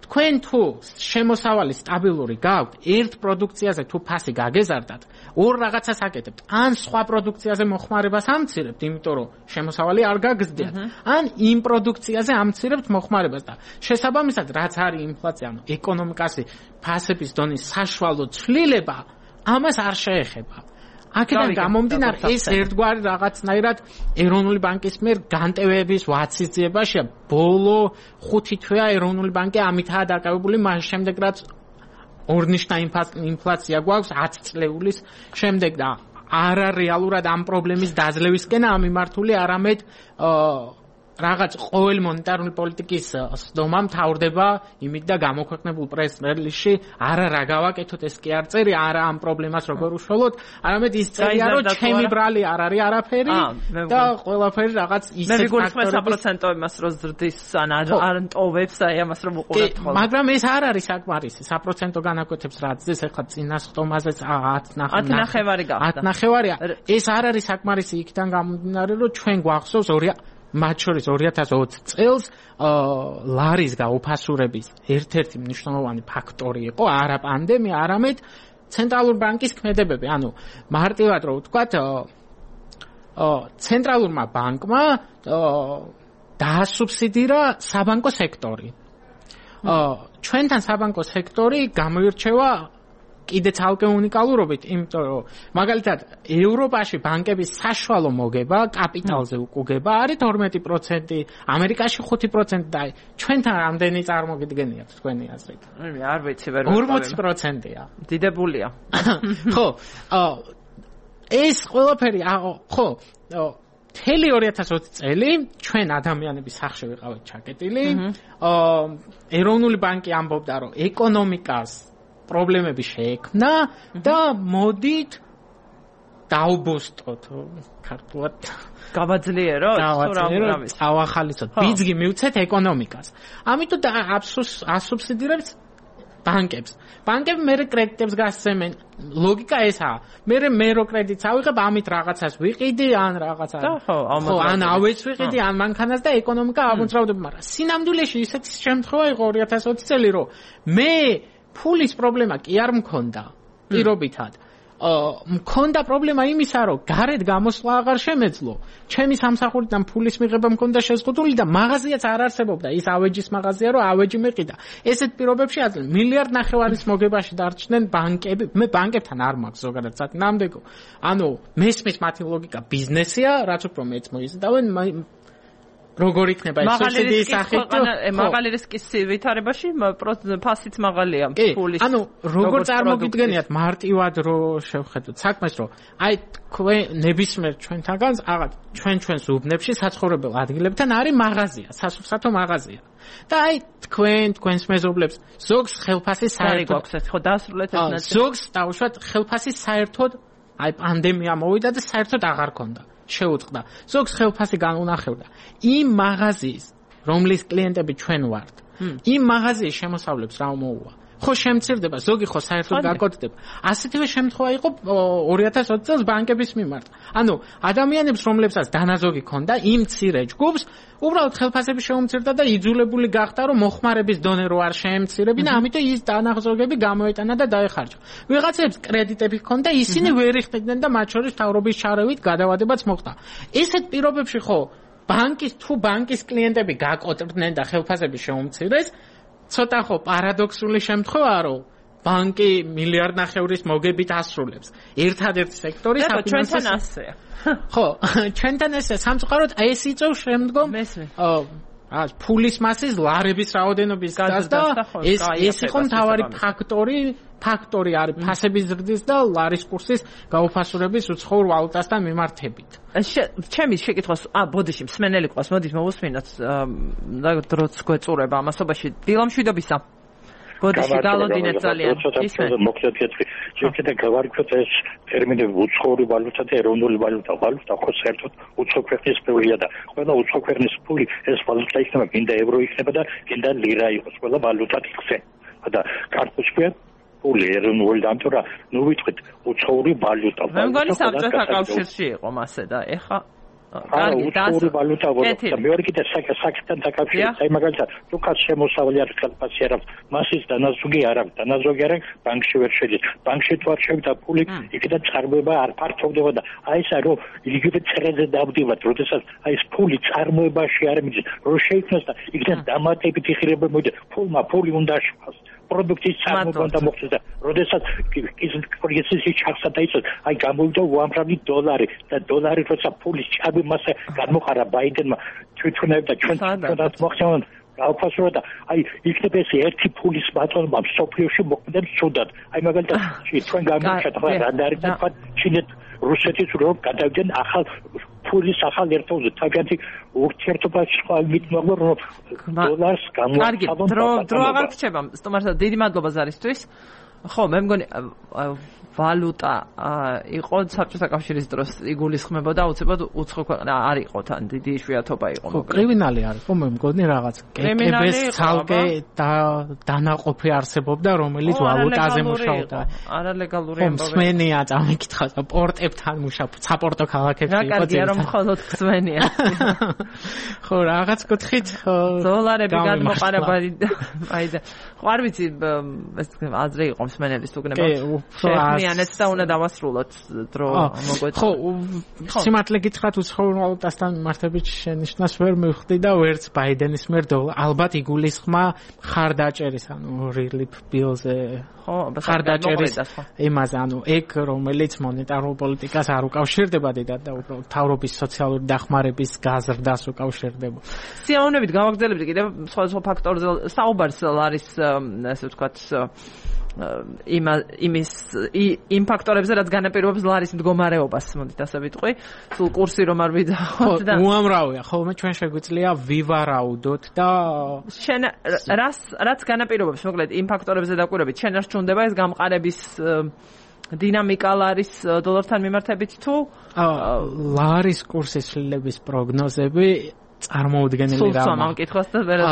თქვენ თუ შემოსავალი სტაბილური გაქვთ, ერთ პროდუქციაზე თუ ფასი გაგეზარდათ, ორ რაღაცას აკეთებთ. ან სხვა პროდუქციაზე მოხმარებას ამცირებთ, იმიტომ რომ შემოსავალი არ გაგზდიათ, ან იმ პროდუქციაზე ამცირებთ მოხმარებას და შესაბამისად, რაც არის ინფლაცია, ანუ ეკონომიკაში ფასების დონის საშუალო ცვლილება, ამას არ შეეხება. აქედან გამომდინარე ეს ერთგვარი რაღაცნაირად ეროვნული ბანკის მიერ განტევების ვაცის ძიებაშია. ბოლო 5 თვეა ეროვნული ბანკი ამითაა დაკავებული, მას შემდეგ რაც ორნიშნა ინფლაცია გვაქვს 10 წლეულის შემდეგ და არა რეალურად ამ პრობლემის დაძლევისკენ ამიმართული, არამედ რაღაც ყოველი მონეტარული პოლიტიკის სდომა მთავრდება იმით და გამოქვეყნებულ პრეს-რელიზში არა რა გავაკეთოთ, ეს კი არ წერი, არა ამ პრობლემას როგორ უშველოთ, არამედ ის წერია, რომ ჩემი ბრალი არ არის არაფერი და ყველაფერი რაღაც ისეთ მე ვიგულისხმე 100% იმას რომ ზრდის ან არ ნტოვებს, აი ამას რომ უყურებთ ხოლმე. მაგრამ ეს არ არის საკმარისი, 100% განაკვეთებს რაც ეს ახლა წინა სტომაზეც 10.5 გახდა. 10.5-ია. ეს არ არის საკმარისი იქიდან გამომდინარე, რომ ჩვენ გვახსოვს მათ შორის 2020 წელს ლარის გაუფასურების ერთ-ერთი მნიშვნელოვანი ფაქტორი იყო არა პანდემია, არამედ ცენტრალურ ბანკის ქმედებები. ანუ მარტივად რო ვთქვათ, ცენტრალურმა ბანკმა დაასუბსიდირა საბანკო სექტორი. ჩვენთან საბანკო სექტორი გამოირჩევა კიდე ცალკე უნიკალურობით, იმიტომ რომ მაგალითად ევროპაში ბანკების საშუალო მოგება კაპიტალზე უკუგება არის 12%, ამერიკაში 5% და ჩვენთან რამდენი წარმოგიდგენიათ თქვენი აზრით? არ ვიცი, ვერ 40%-ია. დიდებულია. ხო, ეს ყველაფერი, ხო, მთელი 2020 წელი ჩვენ ადამიანების სახში ვიყავით ჩაკეტილი. ეროვნული ბანკი ამბობდა, რომ ეკონომიკას პრობლემები შეექმნა და მოდით დაუბოსტოთ ქართულად გავაძლიეროთ, ავახალისოთ, ბიძგი მივცეთ ეკონომიკას. ამიტომ ასუბსიდირებს ბანკებს. ბანკები მე კრედიტებს გასცემენ. ლოგიკა ესაა. მე რო კრედიტს ავიღებ, ამით რაღაცას ვიყიდი, ან რაღაცას. ხო, ან ავეც ვიყიდი, ან მანქანას და ეკონომიკა აღმოწრავდება, მაგრამ სინამდვილეში ისეთი შემთხვევა იყო 2020 წელი, რომ მე ფულის პრობლემა კი არ მქონდა. პირობითად მქონდა პრობლემა იმისა, რომ გარეთ გამოსვლა აღარ შემეძლო. ჩემი სამსახურიდან ფულის მიღება მქონდა შეზღუდული და მაღაზიაც არ არსებობდა. ის ავეჯის მაღაზია, რომ ავეჯი მეყიდა. ესეთ პირობებში ადრე 1.5 მილიარდის მოგებაში დარჩნენ ბანკები. მე ბანკებთან არ მაქვს ზოგადად სათნამდეგო. ანუ მესმის მათი ლოგიკა ბიზნესია, რაც უფრო მეც მოიზიდავენ. როგორ იქნება ეს სუბსიდიის სახით? მაღალი რისკის ვითარებაში ფასიც მაღალია ფულის. ანუ როგორ წარმოგიდგენიათ მარტივად რომ შევხედოთ საქმეს, რომ აი თქვენ ნებისმიერ ჩვენთანგანს აღარ ჩვენს უბნებში საცხოვრებელ ადგილებთან არის მაღაზია, სასურსათო მაღაზია. და აი თქვენს მეზობლებს ზოგს ხელფასი საერთოდ გვაქვს ხო დაასრულეთ ეს ნაწილი. ზოგს დაუშვათ ხელფასი საერთოდ აი პანდემია მოვიდა და საერთოდ აღარ ქონდა. შეუწყდა. ზოგს ხელფასი განუნახევდა. იმ მაღაზიის, რომლის კლიენტები ჩვენ ვართ, იმ მაღაზიის შემოსავლებს რა მოუვა. ხო შემცირდება, ზოგი ხო საერთოდ გაკოტრდება. ასეთივე შემთხვევა იყო 2020 წელს ბანკების მიმართ. ანუ ადამიანებს, რომლებსაც დანაზოგი ქონდა, იმ მცირე ჯგუფს უბრალოდ ხელფასები შეუმცირდა და იძულებული გახდა, რომ მოხმარების დონე რო არ შეემცირებინა, ამიტომ ის დანაზოგები გამოეტანა და დაეხარჯა. ვიღაცებს კრედიტები ჰქონდა, ისინი ვერ იხდიდნენ და მათ შორის მთავრობის ჩარევით გადავადებაც მოხდა. ესეთ პირობებში ხო ბანკის კლიენტები გაკოტრდნენ და ხელფასები შეუმცირეს, ცოტა ხო პარადოქსული შემთხვევაა, რომ ბანკი 1.5 მილიარდის მოგებით ასრულებს. ერთადერთი სექტორი ჩვენთან ასეა. ხო, ჩვენთან ესე სამწუხაროდ ეს იწევს შემდგომ ფულის მასის ლარების რაოდენობის გაზრდა. ეს იყო მთავარი ფაქტორი არის ფასების ზრდის და ლარის კურსის გაუფასურების უცხოურ ვალუტასთან მიმართებით. ჩემი შეკითხვას ბოდიში მსმენელი ყავს, მოდით მოვუსმინოთ და დროც გვეწურება ამასობაში. დილამშვიდობისა. ბოდიში გალოდინეთ ძალიან. ისმენ მოკლედ კითხი. შეიძლება გავარკვიოთ ეს ტერმინები უცხოური ვალუტა და ეროვნული ვალუტა. ვალუტა ხო საერთოდ უცხო ქვეყნის ფულია და ყველა უცხო ქვეყნის ფული ეს ვალუტა იქნება, გინდა ევრო იქნება და გინდა ლირა იყოს, ყველა ვალუტად იქცენ. და კარტოშკია ფული ეროვნული დამტვრა, ნუ ვიტყვით უცხოური ვალუტა. მე მგონი საბჭოთა კავშირში იყო მასე და ეხა კარგი უცხოური ვალუტა და მეორე კიდე საკითხთან დაკავშირებით, აი მაგალითად, თუ კაც შემოსავალი არ ხელფასი არ აქვს, მასის დანაზოგი არ აქვს, ბანკში ვერ შედის. ბანკში თუ არ შევიდა ფული, იქიდან წარმოება არ ფართოვდება და აი ესა რომ იგივე წერაზე დავდივართ, როდესაც აი ეს ფული წარმოებაში არ მიდის, რომ შეიქმნას და იქიდან დამატებითი ღირებულება მოიდეს, ფული უნდა შეფას. პროდუქტის წარმოება და მოხდეს და როდესაც კრიზისი ჩახსა დაიწყოს, აი გამოვიდა უამრავი დოლარი და დოლარი როცა ფულის ჭაბი მასა გამოყარა ბაიდენმა თვითონებ და ჩვენაც მოხსენებთ გააფასურა და აი იქნება ეს ერთი ფულის ბატონობა სოფლიოში მოქმედებს ცუდად. აი მაგალითად ჩვენ გამოვიდა თქვა რადარი და თქვა ჩინეთ რუსეთის რომ გადავიდნენ ახალ ფულის ახალ ერთობზე თავიანთი ურთიერთობაში სხვა მიტმოგო რომ დოლარს გამოაცხადონ. დრო აღარ გრჩება. სტუმართა დიდი მადლობა ზარისთვის. ხო, მე მგონი ვალუტა იყო საბჭოთა კავშირის დროს იგულისხმებოდა უცებად უცხო ქვეყნა არ იყო თან დიდი იშვიათობა იყო. ხო, კრიმინალი არის ხო მე მგონი რაღაც კეკების ცალკე დანაყოფი არსებობდა რომელიც ვალუტაზე მუშაობდა. არალეგალური ამბავი. მსმენია წამიკითხა პორტებთან მუშაობდა, საპორტო ქალაქებში იყო. რა კარგია რომ მხოლოდ მსმენია. ხო, რაღაც კუთხით დოლარები გადმოყარებადი. აი და ხო არ ვიცი ეს აზრი იყო მსმენელის თუ გნება. შეხმიანეთ და უნდა დავასრულოთ დრო მოგვეწია. ხო, სიმართლე გითხრათ უცხოურ ვალუტასთან მიმართებით შენიშვნას ვერ მივხვდი და ვერც ბაიდენის მიერ ალბათ იგულისხმა ხარდაჭერის, ანუ relief bill-ზე ხარდაჭერის იმაზე, ანუ ეგ რომელიც მონეტარულ პოლიტიკას არ უკავშირდება დიდად და უბრალოდ თავრობის სოციალური დახმარების გაზრდას უკავშირდება. სიამოვნებით გავაგრძელებთ კიდევ სხვა ფაქტორზე საუბარს არის ასე ვთქვათ იმ ფაქტორებზე რაც განაპირობებს ლარის მდგომარეობას, მოდით ასე ვიტყვი, სულ კურსი რომ არ ვიდაოთ და უამრავია, ხოლმე ჩვენ შეგვიძლია ვივარაუდოთ და რაც განაპირობებს, მოკლედ იმ ფაქტორებზე დაკვირვებით, შენ არ ჩუნდება ეს გამყარების დინამიკა ლარის დოლართან მიმართებით თუ ლარის კურსის ცვლილების პროგნოზები წარმოუდგენელი რამაა. სულ ამ კითხვას და ვერა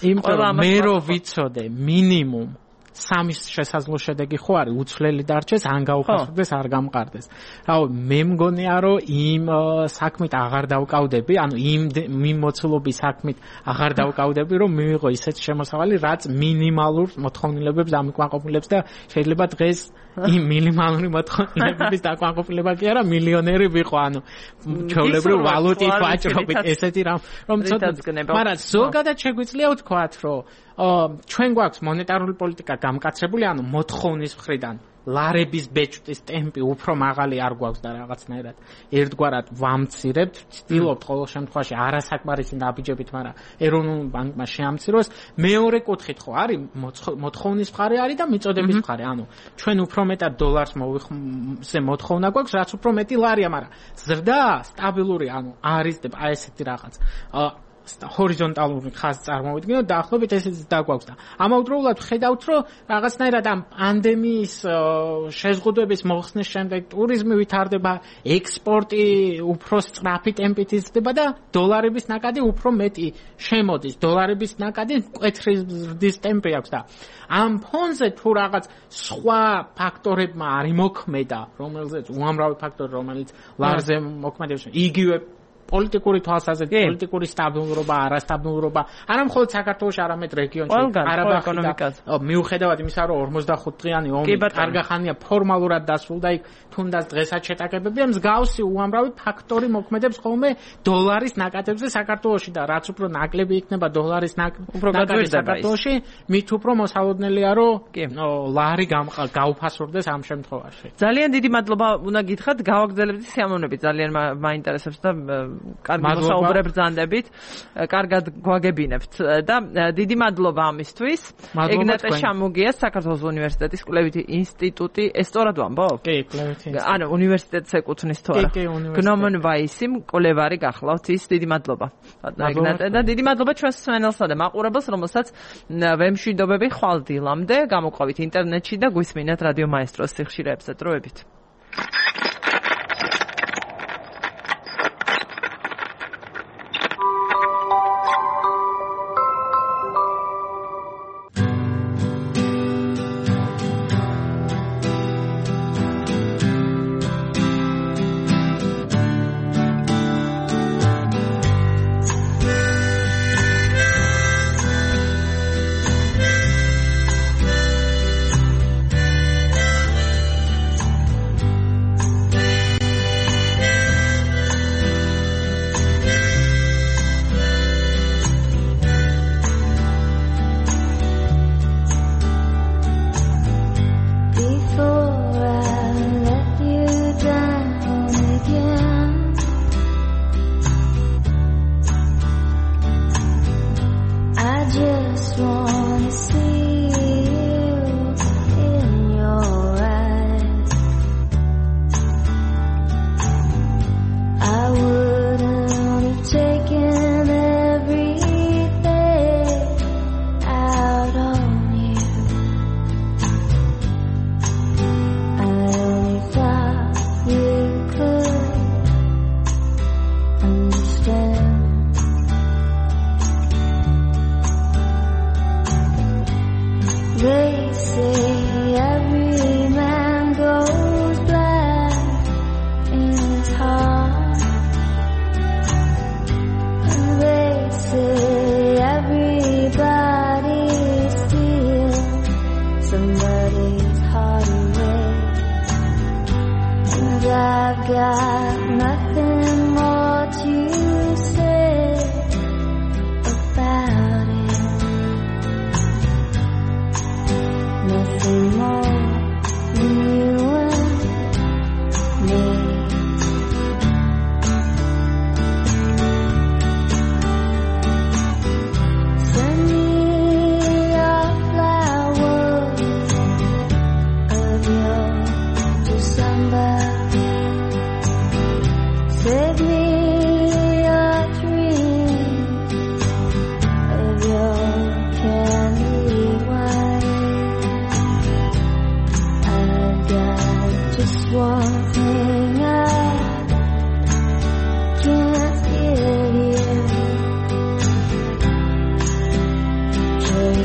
იმიტომ მე რო ვიცოდე მინიმუმ სამის შესაძლო შედეგი ხო არის უცვლელი დარჩეს, ან გაუფასოდეს, არ გამყარდეს. რავი, მე მგონია რომ იმ საქმით აღარ დავკავდები, ანუ იმ მოცულობის საქმით აღარ დავკავდები, რომ მივიღო ისეთ შემოსავალი, რაც მინიმალურ მოთხოვნილებებს ამიკმაყოფილებს და შეიძლება დღეს იმ მინიმალური მოთხოვნილებების დაკმაყოფილება კი არა, მილიონერი ვიყო, ანუ ჩვეულებრივ ვალუტის ვაჭრობით ესეთი რომ ცოტა, მაგრამ ზოგადად შეგვიძლია ვთქვათ, რომ ჩვენ გვაქვს მონეტარული პოლიტიკა გამკაცრებული, ანუ მოთხოვნის მხრიდან ლარების ბეჭდის ტემპი უფრო მაღალი არ გვაქვს და რაღაცნაირად ერთგვარად ვამცირებთ, ვცდილობთ ყოველ შემთხვევაში არასაკმარისი დაბიჯებით, მაგრამ ეროვნულ ბანკმა შეამციროს. მეორე კუთხით ხო არის მოთხოვნის მხარე არის და მიწოდების მხარე, ანუ ჩვენ უფრო მეტად დოლარს მოვიხმზე მოთხოვნა გვაქვს, რაც უფრო მეტი ლარია, მაგრამ ზრდა სტაბილური, ანუ არის აი ესეთი რაღაც ჰორიზონტალური ხაზი წარმოვიდგინოთ და ახლობით ესეც დაგვაქვს და ამავდროულად ხედავთ, რომ რაღაცნაირად ამ პანდემიის შეზღუდვების მოხსნის შემდეგ ტურიზმი ვითარდება, ექსპორტი უფრო სწრაფი ტემპით იზრდება და დოლარების ნაკადი უფრო მეტი შემოდის. დოლარების ნაკადი მკვეთრი ზრდის ტემპი აქვს და ამ ფონზე თუ რაღაც სხვა ფაქტორებმა არ იმოქმედა, რომელზეც უამრავი ფაქტორი, რომელიც ლარზე მოქმედებს, იგივე პოლიტიკური თვალსაზრისით, პოლიტიკური სტაბილურობა, არასტაბილურობა, არა მხოლოდ საქართველოში, არამედ რეგიონში, ყარაბაღში. მიუხედავად იმისა, რომ 45 დღიანი ომი კარგა ხანია ფორმალურად დასრულდა, იქ თუნდაც დღესაც შეტაკებებია, მსგავსი უამრავი ფაქტორი მოქმედებს ხოლმე დოლარის ნაკადებზე საქართველოში და რაც უფრო ნაკლები იქნება დოლარის ნაკადი საქართველოში, მით უფრო მოსალოდნელია, რომ ლარი გაუფასორდეს ამ შემთხვევაში. ძალიან დიდი მადლობა უნდა გითხრათ, გავაგრძელებთ სიამოვნებით, ძალიან მაინტერესებს და კარგი მოსაუბრე ბრძანდებით, კარგად გვაგებინებთ და დიდი მადლობა ამისთვის. ეგნატე შამუგია, საქართველოს უნივერსიტეტის კვლევითი ინსტიტუტი, ესტორად ვამბობ? კი, კვლევითი ინსტიტუტი. ანუ უნივერსიტეტს ეკუთვნის თუ არა? კი, უნივერსიტეტი. გნომონ ვაისი, კვლევარი გახლავთ ის, დიდი მადლობა. ეგნატე და დიდი მადლობა ჩვენს მსმენელსა და მაყურებელს, რომელსაც ვემშვიდობები ხვალ დილამდე, გამოყვავით ინტერნეტში და გვისმინეთ რადიო მაესტროს სიხშირეებზე. დროებით.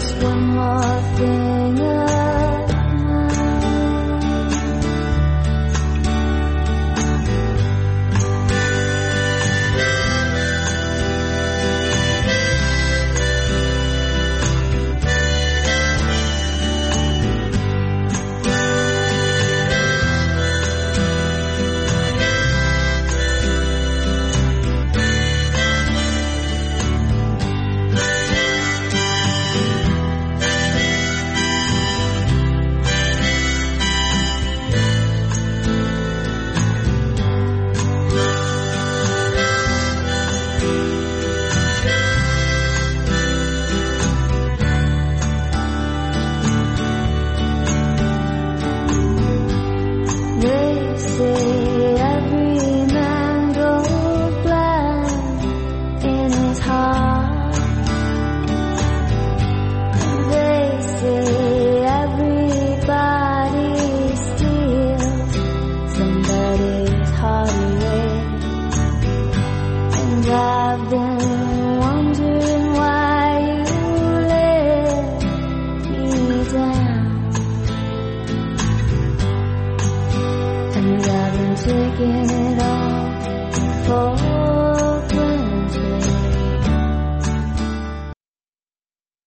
Just one more thing